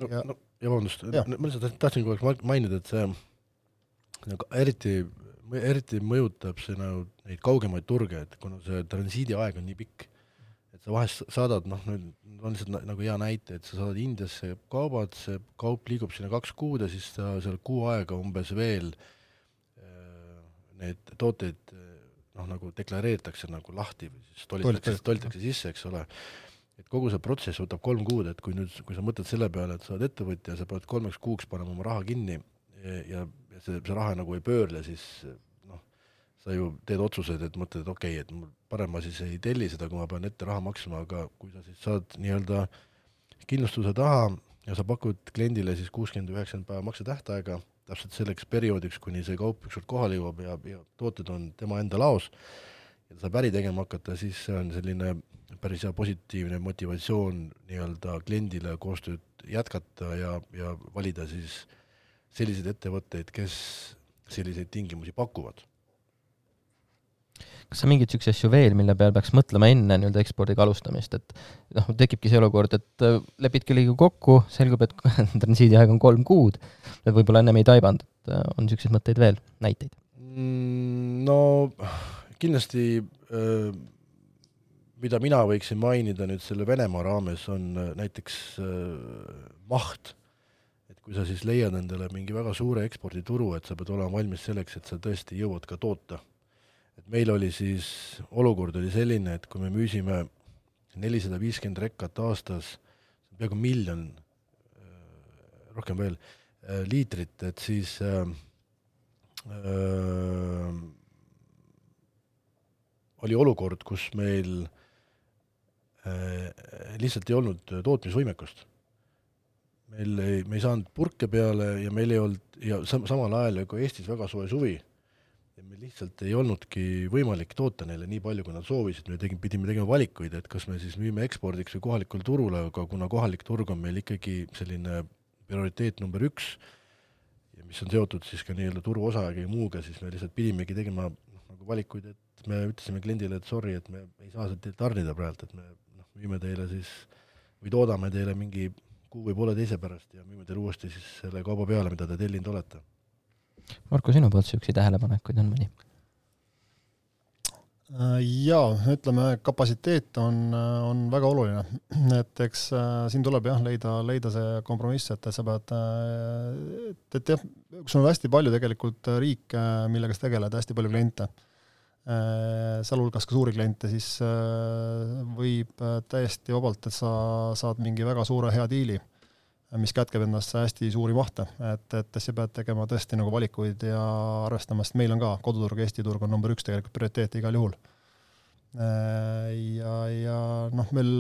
[SPEAKER 3] No, ja, no, ja vabandust, ja. ma lihtsalt tahtsin kogu aeg mainida, et see nagu, eriti, eriti mõjutab see nagu, neid kaugemaid turge, et kuna see transiidi aeg on nii pikk, et sa vahest saadad, noh, on lihtsalt nagu hea näite, et sa saadad Indiasse kaubad, see kaup liigub sinna kaks kuud ja siis ta seal kuu aega umbes veel need tooteid noh, nagu deklareeritakse nagu lahti või siis tolitakse, tolitakse sisse, eks ole. Et kogu see protsess võtab kolm kuud, et kui nüüd, kui sa mõtled selle peale, et sa oled ettevõtja ja sa pead kolmeks kuuks panema oma raha kinni ja, ja see, see raha nagu ei pöörle, siis sa ju teed otsused, et mõtled, et okei, okay, et parem ma siis ei telli seda, kui ma pean ette raha maksma, aga kui sa siis saad nii-öelda kindlustuse taha ja sa pakud kliendile siis kuuskümmend üheksakümmend päeva makse tähtaega, täpselt selleks perioodiks, kuni see kaup ükskord kohale jõuab ja, ja tooted on tema enda laos ja ta saab äri tegema hakata, siis see on selline päris hea positiivne motivatsioon nii-öelda kliendile koostööd jätkata ja, ja valida siis selliseid ettevõtteid, kes selliseid tingimusi pakuvad.
[SPEAKER 1] Kas sa mingid sükse asju veel, mille peal peaks mõtlema enne nii-öelda ekspordiga alustamist, et noh, tekibki see olukord, et lepid kellega kokku, selgub, et transiidi aeg on kolm kuud, et võib-olla ennem ei taibanud, et on sükseid mõtteid veel, näiteid?
[SPEAKER 3] No kindlasti, mida mina võiksin mainida nüüd selle Venemaa raames, on näiteks maht, et kui sa siis leiad endale mingi väga suure ekspordituru, et sa pead olema valmis selleks, et sa tõesti jõuad ka toota. Et meil oli siis, olukord oli selline, et kui me müüsime nelisada viiskümmend rekkat aastas, peaaegu miljon, rohkem veel, liitrit, et siis äh, äh, oli olukord, kus meil äh, lihtsalt ei olnud tootmisvõimekust. Meil ei, me ei saanud purke peale ja meil ei olnud, ja sam- samal ajal kui Eestis väga soe suvi, ja meil lihtsalt ei olnudki võimalik toota neile nii palju, kui nad soovisid, me tegime, pidime tegema valikuid, et kas me siis müüme ekspordiks või kohalikul turule, aga kuna kohalik turg on meil ikkagi selline prioriteet number üks, ja mis on seotud siis ka nii-öelda turuosaga ja muuga, siis me lihtsalt pidimegi tegema noh, nagu valikuid, et me ütlesime kliendile, et sorry, et me ei saa seda tarnida praegu, et me noh, müüme teile siis või toodame teile mingi kuu või poole teise pärast ja müüme teile uuesti siis selle kauba peale, mida te tellinud olete. Marko,
[SPEAKER 1] sinu poolt süüksi tähelepanekuid on mõni?
[SPEAKER 2] Jaa, ütleme, kapatsiteet on, on väga oluline. Et eks siin tuleb jah, leida, leida see kompromiss, et sa pead, et, et jah, kus on hästi palju tegelikult riike, millega sa tegeled, hästi palju kliente, seal hulgas ka suuri kliente, siis võib täiesti vabalt, et sa saad mingi väga suure hea diili, mis kätkeb endast hästi suuri mahte, et, et sa pead tegema tõesti nagu valikuid ja arvestama, sest meil on ka koduturg, Eesti turg on number üks tegelikult prioriteet igal juhul. Ja, ja noh, meil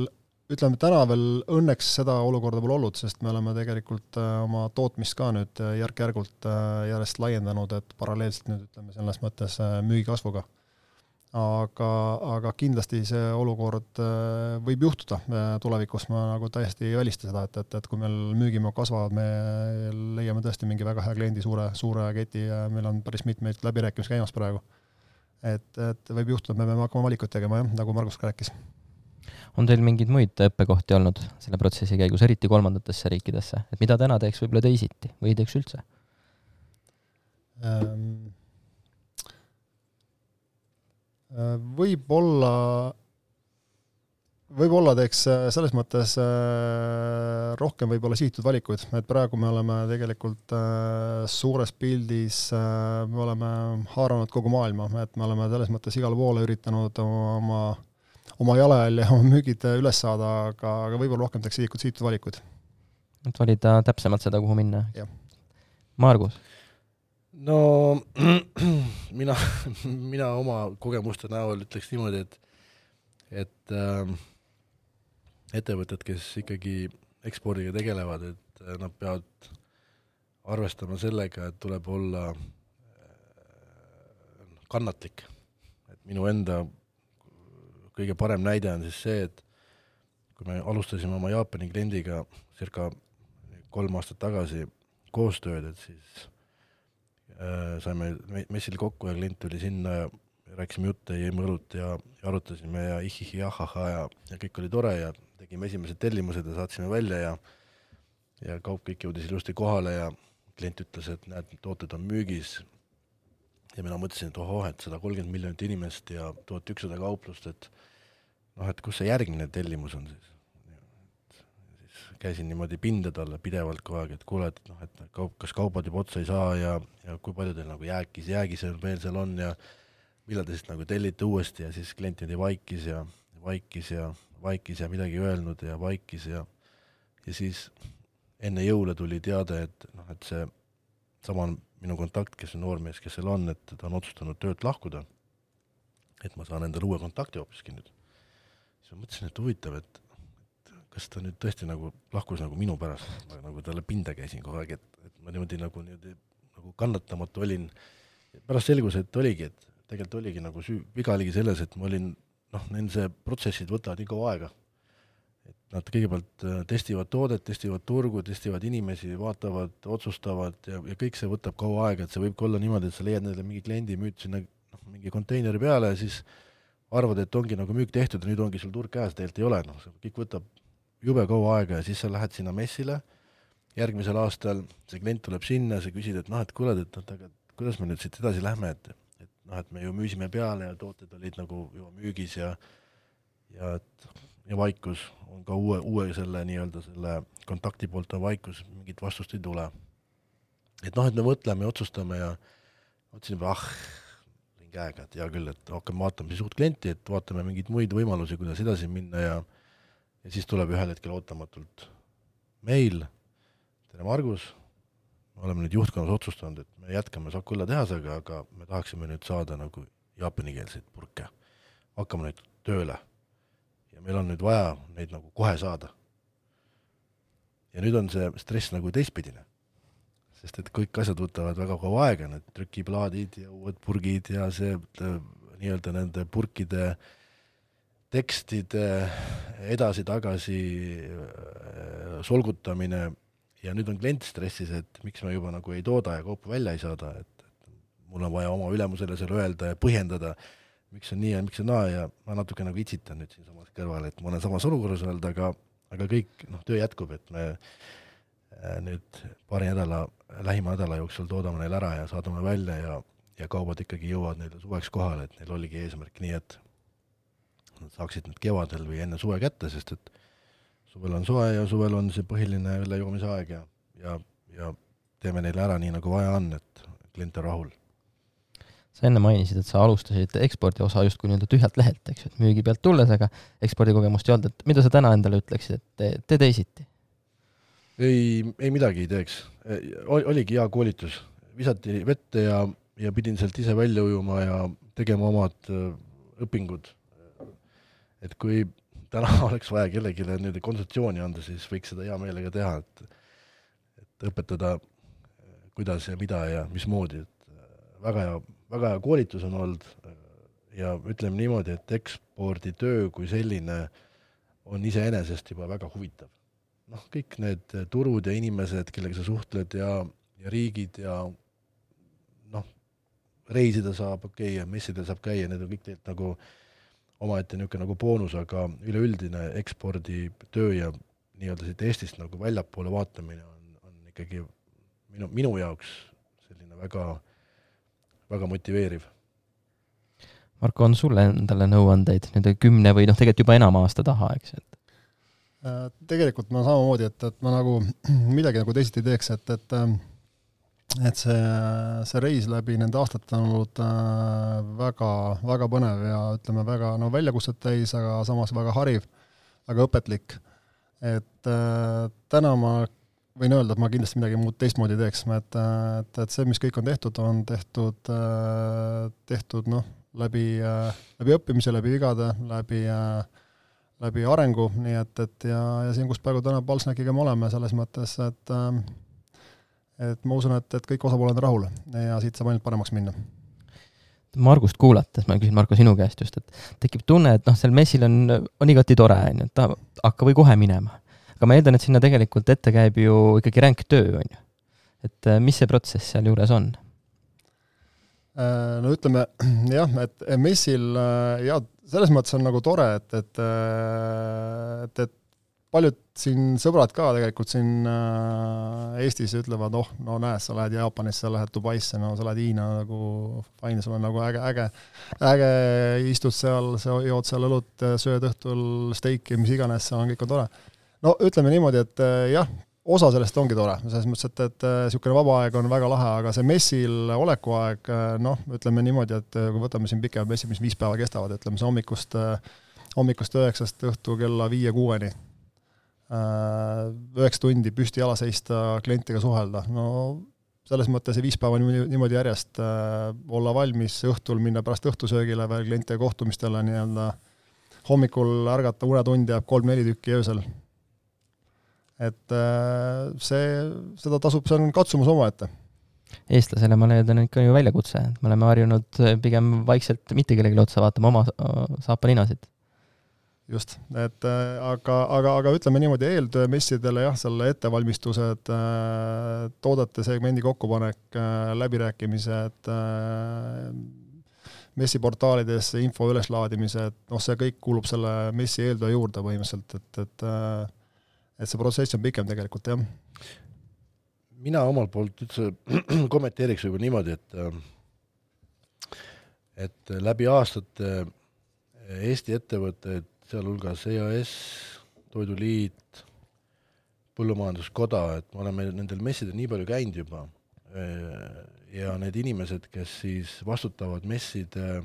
[SPEAKER 2] ütleme, täna veel õnneks seda olukorda pole olnud, sest me oleme tegelikult oma tootmist ka nüüd järk-järgult järjest laiendanud, et paralleelselt nüüd ütleme selles mõttes müügikasvuga. Aga, aga kindlasti see olukord võib juhtuda tulevikus, ma nagu täiesti ei välista seda, et, et, et kui meil müügimaa kasvavad, me leiame tõesti mingi väga hea kliendi suure, suure keti ja meil on päris mitmeid läbirääkimisi käimas praegu. Et, et võib juhtuda, me peame hakkama valikut tegema, jah, nagu Margus ka rääkis.
[SPEAKER 1] On teil mingeid muid õppekohti olnud selle protsessi käigus, eriti kolmandatesse riikidesse? Et mida täna teeks võib-olla teisiti või teeks üldse?
[SPEAKER 2] Ähm... Võib-olla, võib-olla teeks selles mõttes rohkem võib-olla sihitud valikuid, et praegu me oleme tegelikult suures pildis, me oleme haaranud kogu maailma, et me oleme selles mõttes igale poole üritanud oma, oma jalajälje ja oma müügid üles saada, aga, aga võib-olla rohkem teeks sihitud, sihitud valikuid.
[SPEAKER 1] Et valida täpsemalt seda, kuhu minna.
[SPEAKER 2] Jah.
[SPEAKER 3] Margus? No mina, mina oma kogemuste näol ütleks niimoodi, et, et äh, ettevõtted, kes ikkagi ekspordiga tegelevad, et nad peavad arvestama sellega, et tuleb olla äh, kannatlik. Et minu enda kõige parem näide on siis see, et kui me alustasime oma Jaapani kliendiga circa kolm aastat tagasi koostööd, et siis saime messil kokku ja klient tuli sinna ja rääkisime jutte, jõime õlut ja, ja arutasime ja ihihi, ahaha ja, ja kõik oli tore ja tegime esimesed tellimused ja saatsime välja ja, ja kaup kõik jõudis ilusti kohale ja klient ütles, et näed, tooted on müügis ja mina mõtlesin, et ohoh, et sada kolmkümmend miljonit inimest ja tuhat ükssada kauplust, et noh, et kus see järgmine tellimus on siis. Käisin niimoodi pinde talle pidevalt kogu aeg, et kuule, et, noh, et kaup, kas kaubad juba otsa ei saa ja, ja kui palju teil nagu jääkis, jäägis veel seal on ja millal te siis nagu tellite uuesti ja siis klient jäi vaikis ja vaikis ja vaikis ja midagi öelnud ja vaikis ja ja siis enne jõule tuli teade, et, noh, et see sama minu kontakt, kes on noormees, kes seal on, et ta on otsustanud töölt lahkuda, et ma saan endale uue kontakti hoopiski nüüd. Siis ma mõtlesin, et huvitav, et kas ta nüüd tõesti nagu lahkus nagu minu pärast, ma nagu talle pinda käisin kogu aeg, et, et ma niimoodi nagu, niimoodi nagu kannatamatu olin. Pärast selgus, et oligi, et tegelikult oligi nagu süü, viga oligi selles, et ma olin, noh, nende protsessid võtavad nii kaua aega. Et nad kõigepealt testivad toodet, testivad turgu, testivad inimesi, vaatavad, otsustavad ja, ja kõik see võtab kaua aega, et see võib olla niimoodi, et sa leiad neile mingi kliendi, müüd sinna noh, mingi konteineri peale ja siis arvad, et ongi nagu müük tehtud ja nüüd ongi sul turg käes, tegelikult ei ole, noh, see kõik võtab jube kaua aega ja siis sa lähed sinna messile, järgmisel aastal see klient tuleb sinna, sa küsid, et noh, et kuule, et, et aga kuidas me nüüd siit edasi lähme, et, et noh, et me ju müüsime peale ja tooted olid nagu juba müügis ja ja, et, ja vaikus on ka uue, uue selle nii-öelda selle kontakti poolt on vaikus, mingit vastust ei tule. Et noh, et me mõtleme ja otsustame ja otsin juba, ah, olin käega, et hea küll, et hakkame vaatama siis uut klienti, et vaatame mingeid muid võimalusi, kuidas edasi minna ja ja siis tuleb ühel hetkel ootamatult meil, tere Margus, me oleme nüüd juhtkonnas otsustanud, et me jätkame Sakulla tehasega, aga me tahaksime nüüd saada nagu jaapanikeelseid purke. Hakkame neid tööle. Ja meil on nüüd vaja neid nagu kohe saada. Ja nüüd on see stress nagu teistpidine. sest et kõik asjad võtavad väga kaua aega, need trükiplaadid ja uued purgid ja see nii-öelda nende purkide tekstide edasi-tagasi solgutamine ja nüüd on klient stressis, et miks me juba nagu ei tooda ja kaupa välja ei saada, et, et mul on vaja oma ülemusele seal öelda ja põhjendada, miks on nii ja miks on naa ja ma natuke nagu itsitan nüüd siin samas kõrval, et ma olen samas olukorras olnud, aga, aga kõik, noh, töö jätkub, et me nüüd paari nädala, lähima nädala jooksul toodame neil ära ja saadame välja ja, ja kaubad ikkagi jõuavad neile suveks kohale, et neil oligi eesmärk nii, et nad saaksid need kevadel või enne suve kätte, sest et suvel on soe ja suvel on see põhiline õllejoomise aeg ja, ja, ja teeme neile ära nii, nagu vaja on, et klient on rahul.
[SPEAKER 1] Sa enne mainisid, et sa alustasid ekspordi osa justkui nii-öelda tühjalt lehelt, eks, et müügi pealt tulles, aga ekspordikogemust ei olnud, et mida sa täna endale ütleksid, et te, te teisiti?
[SPEAKER 3] Ei, ei midagi ei teeks. Oligi hea koolitus. Visati vette ja, ja pidin sealt ise välja ujuma ja tegema omad õpingud. Et kui täna oleks vaja kellelegi nüüd konsultatsiooni anda, siis võiks seda hea meelega teha, et, et õpetada, kuidas ja mida ja mismoodi. Et väga hea, väga hea koolitus on olnud ja ütleme niimoodi, et eksporditöö kui selline on iseenesest juba väga huvitav. Noh, kõik need turud ja inimesed, kellega sa suhtled ja, ja riigid ja noh, reisida saab, okei, okay, messidel saab käia, need on kõik teilt nagu omaette niisugune nagu boonus, aga üleüldine ekspordi töö ja nii-öelda siit Eestist nagu väljapoole vaatamine on, on ikkagi minu, minu jaoks selline väga, väga motiveeriv.
[SPEAKER 1] Marko, on sulle endale nõuandeid nüüd kümne või noh, tegelikult juba enam aasta taha, eks? Et?
[SPEAKER 2] Tegelikult ma samamoodi, et, et ma nagu midagi nagu teisiti teeks, et, et et see, see reis läbi nende aastate on olnud väga, väga põnev ja ütleme väga no, väljakutset täis, aga samas väga hariv, väga õpetlik. Et äh, täna ma võin öelda, et ma kindlasti midagi muud teistmoodi teeks, et, et, et see, mis kõik on tehtud, on tehtud, äh, tehtud noh, läbi, äh, läbi õppimise, läbi vigade, läbi, äh, läbi arengu, nii et, et ja, ja siin, kus praegu täna Palsnäkiga me oleme selles mõttes, et äh, et ma usun, et, et kõik osapooled on rahul ja siit saab ainult paremaks minna.
[SPEAKER 1] Margust kuulates, ma küsin Marko sinu käest just, et tekib tunne, et noh, seal messil on, on igati tore, on, et ta hakka või kohe minema. Aga ma eeldan, et sinna tegelikult ette käib ju ikkagi ränk töö, on ju. Et mis see protsess seal juures on?
[SPEAKER 2] No ütleme, jah, et messil, ja selles mõttes on nagu tore, et, et, et, et paljud siin sõbrad ka tegelikult siin Eestis ütlevad, oh, no näed, sa lähed Jaapanisse, sa lähed Dubaisse, no sa lähed Hiina nagu fine, sul on nagu äge, äge, äge istud seal, sa jood seal õlut, sööd õhtul steiki, mis iganes, see on kõik on tore. No ütleme niimoodi, et jah, osa sellest ongi tore, selles mõttes, et, et niisugune vaba aeg on väga lahe, aga see messil olekuaeg, noh, ütleme niimoodi, et kui võtame siin pikemad messid, mis viis päeva kestavad, ütleme see hommikust, hommikust üheksast õhtu kella viie kuueni, üheksa tundi püsti jala seista, klientiga suhelda. No selles mõttes see viis päeva niimoodi järjest olla valmis õhtul, minna pärast õhtusöögile veel klientide kohtumistele, nii-öelda hommikul ärgata unetund jääb kolm-neli tükki öösel. Et see, seda tasub, see on katsumus oma ette.
[SPEAKER 1] Eestlasele ma leidan ikka ju väljakutse, et me oleme harjunud pigem vaikselt mitte kellegi otsa vaatama oma saapaninasid.
[SPEAKER 2] Just, et aga, aga, aga ütleme niimoodi eeltöö messidele, jah, selle ettevalmistused, toodete segmendi kokkupanek, läbirääkimised, messiportaalides info üleslaadimised, noh, see kõik kuulub selle messi eeltöö juurde põhimõtteliselt, et, et, et see protsess on pikem tegelikult, jah.
[SPEAKER 3] Mina omalt poolt üldse kommenteeriks juba niimoodi, et, et läbi aastate Eesti ettevõtted sealhulgas E A S, Toiduliit, Põllumajanduskoda, et me oleme nendel messidel nii palju käinud juba ja need inimesed, kes siis vastutavad messide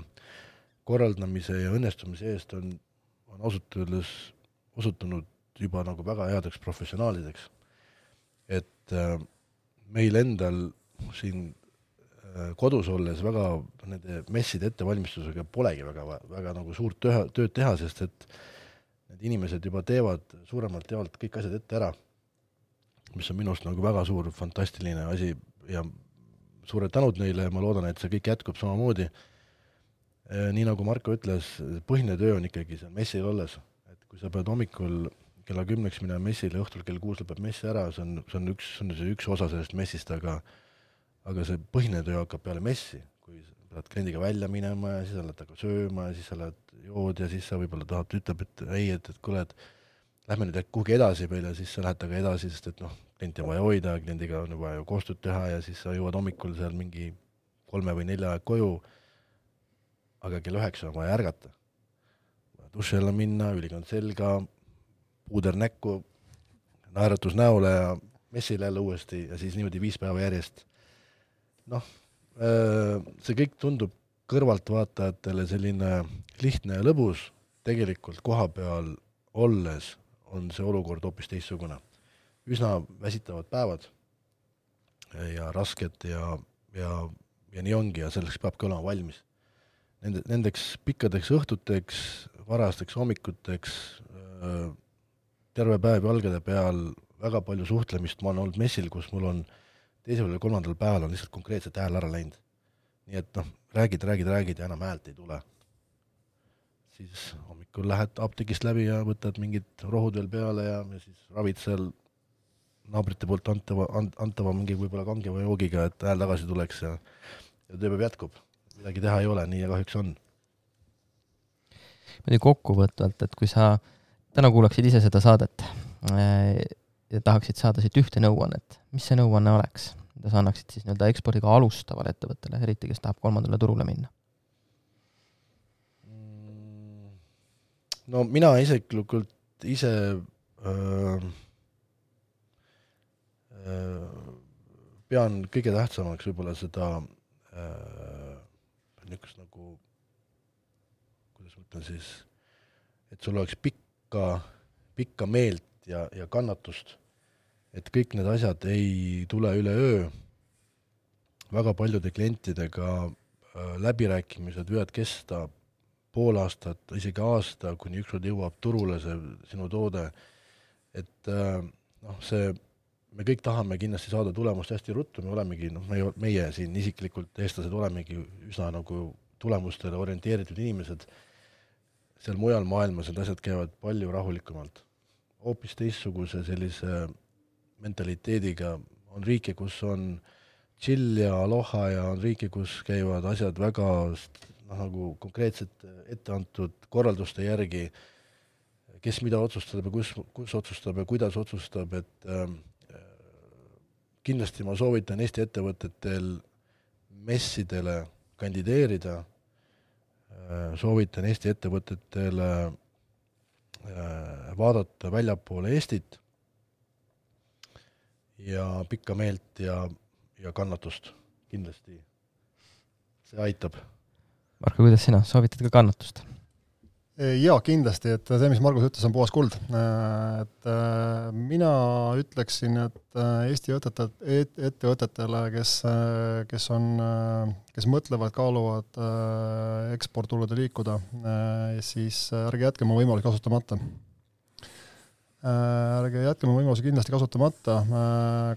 [SPEAKER 3] korraldamise ja õnnestumise eest, on, on osutunud, osutunud juba nagu väga headeks professionaalideks. Et meil endal siin kodus olles väga nende messide ettevalmistusega polegi väga, väga nagu suurt töö, tööd teha, sest et need inimesed juba teevad suuremalt jaolt kõik asjad ette ära. mis on minust nagu väga suur, fantastiline asi ja suured tänud neile ja ma loodan, et see kõik jätkub samamoodi. Nii nagu Marko ütles, põhine töö on ikkagi seal messil olles, et kui sa pead hommikul kella kümneks minema messile, õhtul kell kuus lõpeb messi ära, see on, see on üks, see on see üks osa sellest messist, aga aga see põhine töö hakkab peale messi, kui sa lähed kliendiga välja minema ja siis sa lähed aga sööma ja siis sa lähed jood ja siis sa võib-olla tahad, ütleb, et ei, et, et kuule, et lähme nüüd kuhugi edasi veel ja siis sa lähed aga edasi, sest et noh, klienti on vaja hoida, kliendiga on vaja koostööd teha ja siis sa jõuad hommikul seal mingi kolme või nelja aeg koju, aga kell üheksa on vaja ärgata. Duši alla minna, ülikond selga, puuder näkku, naeratus näole ja messile jälle uuesti ja siis niimoodi viis päeva järjest. Noh, see kõik tundub kõrvalt vaatajatele selline lihtne ja lõbus, tegelikult koha peal olles on see olukord hoopis teistsugune. Üsna väsitavad päevad ja rasked ja, ja, ja nii ongi ja selleks peabki olema valmis. Nende, nendeks pikkadeks õhtuteks, varasteks hommikuteks, terve päev jalgade peal, väga palju suhtlemist, ma olen olnud messil, kus mul on teisel või kolmandal päeval on lihtsalt konkreetselt hääl ära läinud. Nii et noh, räägid, räägid, räägid ja enam häält ei tule. Siis hommikul lähed apteegist läbi ja võtad mingid rohud veel peale ja, ja siis ravid seal naabrite poolt antava, antava mingi võib-olla kange või joogiga, et hääl tagasi tuleks ja, ja tööpäev jätkub. Midagi teha ei ole, nii ja kahjuks on.
[SPEAKER 1] Mõni kokkuvõtvalt, et kui sa täna kuulaksid ise seda saadet ja tahaksid saada siit ühte nõuannet, mis see nõuanne oleks? Mida sa annaksid siis nii-öelda ekspordiga alustavale ettevõttele, eriti kes tahab kolmandale turule minna?
[SPEAKER 3] No mina isiklikult ise öö, öö, pean kõige tähtsamaks võib-olla seda öö, niisugust nagu, kuidas ma ütlen siis, et sul oleks pikka, pikka meelt ja, ja kannatust, et kõik need asjad ei tule üle öö. Väga paljude klientidega öö, läbirääkimised võivad kesta pool aastat, isegi aasta, kuni ükskord jõuab turule see sinu toode, et noh, see, me kõik tahame kindlasti saada tulemust hästi ruttu, me olemegi, noh, meie, meie siin isiklikult eestlased olemegi üsna nagu tulemustele orienteeritud inimesed, seal mujal maailmas need asjad käivad palju rahulikumalt. Hoopis teistsuguse sellise mentaliteediga on riike, kus on chill ja aloha ja on riike, kus käivad asjad väga nagu konkreetselt ette antud korralduste järgi, kes mida otsustab ja kus, kus otsustab ja kuidas otsustab, et äh, kindlasti ma soovitan Eesti ettevõtetel messidele kandideerida, äh, soovitan Eesti ettevõtetele äh, vaadata väljapoole Eestit ja pikka meelt ja, ja kannatust kindlasti. See aitab.
[SPEAKER 1] Marko, kuidas sina? Soovitad ka kannatust?
[SPEAKER 2] Jaa, kindlasti, et see, mis Margus ütles, on puhas kuld. Et mina ütleksin, et Eesti ettevõtetele, kes, kes, on, kes mõtlevad, kaaluvad eksporttulude liikuda, siis ärge jätke oma võimalusi kasutamata. Ärge jätke oma võimalusi kindlasti kasutamata.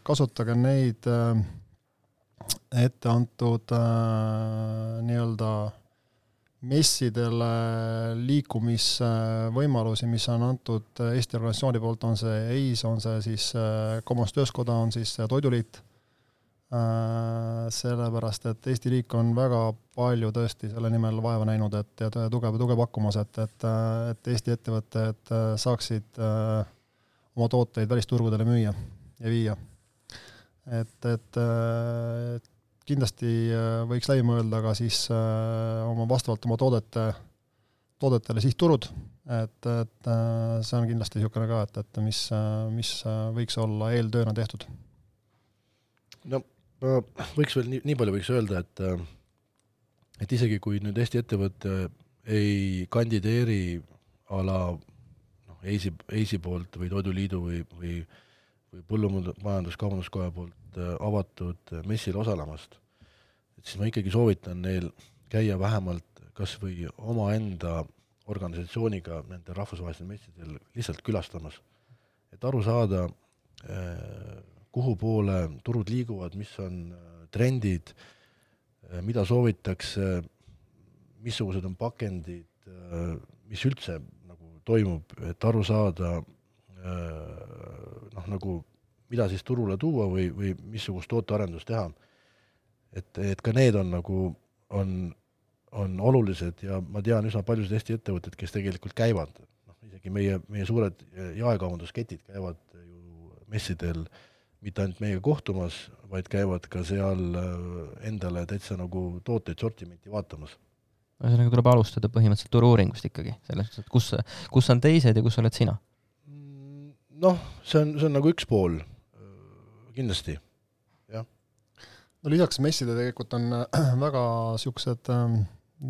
[SPEAKER 2] Kasutage neid ette antud nii-öelda messidele liikumisvõimalusi, mis on antud Eesti organisatsiooni poolt, on see E I S, on see siis Kaubandus-Tööstuskoda, on siis Toiduliit, sellepärast, et Eesti riik on väga palju tõesti selle nimel vaeva näinud, et ja tuge, tuge pakkumas, et, et, et Eesti ettevõtted saaksid oma tooteid välisturgudele müüa ja viia. Et, et, et kindlasti võiks läbi mõelda ka siis oma vastavalt oma toodete, toodetele sihtturud, et, et see on kindlasti niisugune ka, et, et mis, mis võiks olla eeltööna tehtud.
[SPEAKER 3] No võiks veel nii, nii palju võiks öelda, et, et isegi kui nüüd Eesti ettevõtte ei kandideeri ala noh, Eisi, Eisi poolt või Toiduliidu või, või, või Põllumajandus-Kaubanduskoja poolt avatud messil osalemast, et siis ma ikkagi soovitan neil käia vähemalt kas või omaenda organisatsiooniga nende rahvusvahelisel messidel lihtsalt külastamas, et aru saada, kuhu poole turud liiguvad, mis on trendid, mida soovitakse, missugused on pakendid, mis üldse nagu toimub, et aru saada noh, nagu mida siis turule tuua või, või missugust tootearendust teha. Et, et ka need on nagu on, on olulised ja ma tean üsna paljud Eesti ettevõtted, kes tegelikult käivad, noh, isegi meie, meie suured jaekaubandusketid käivad ju messidel mitte ainult meiega kohtumas, vaid käivad ka seal endale täitsa nagu tooteid sortimenti vaatamas.
[SPEAKER 1] Ühesõnaga tuleb alustada põhimõtteliselt turu-uuringust ikkagi, selles mõttes, et kus, kus on teised ja kus oled sina?
[SPEAKER 3] Noh, see on, see on nagu üks pool, kindlasti, jah.
[SPEAKER 2] No lisaks messide tegelikult on väga siuksed,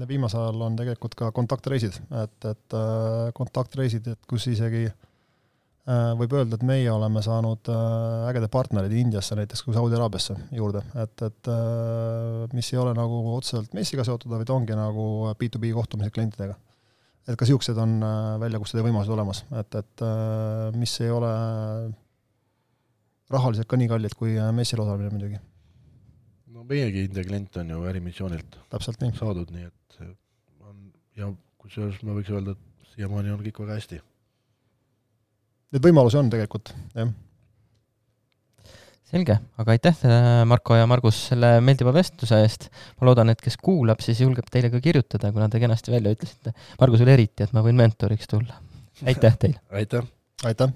[SPEAKER 2] viimasel ajal on tegelikult ka kontaktreisid, et, et kontaktreisid, et kus isegi võib öelda, et meie oleme saanud ägede partnerid Indiasse näiteks kui Saudi-Araabiasse juurde, et, et mis ei ole nagu otseselt messiga seotud, vaid ongi nagu B to B kohtumised klientidega. Et ka siuksed on väljakutsed ja võimalused olemas, et, et mis ei ole rahaliselt ka nii kallid kui messil osalemine muidugi.
[SPEAKER 3] No meiegi India klient on ju ärimissioonilt
[SPEAKER 2] täpselt nii
[SPEAKER 3] saadud, nii et on, ja kusjuures ma võiks öelda, et siiamaani on kõik väga hästi.
[SPEAKER 2] Need võimalusi on tegelikult, jah.
[SPEAKER 1] Selge, aga aitäh Marko ja Margus selle meeldiva vestluse eest. Ma loodan, et kes kuulab, siis julgeb teile ka kirjutada, kuna te kenasti välja ütlesite. Margusele eriti, et ma võin mentoriks tulla. Aitäh teile!
[SPEAKER 3] Aitäh!
[SPEAKER 2] Aitäh!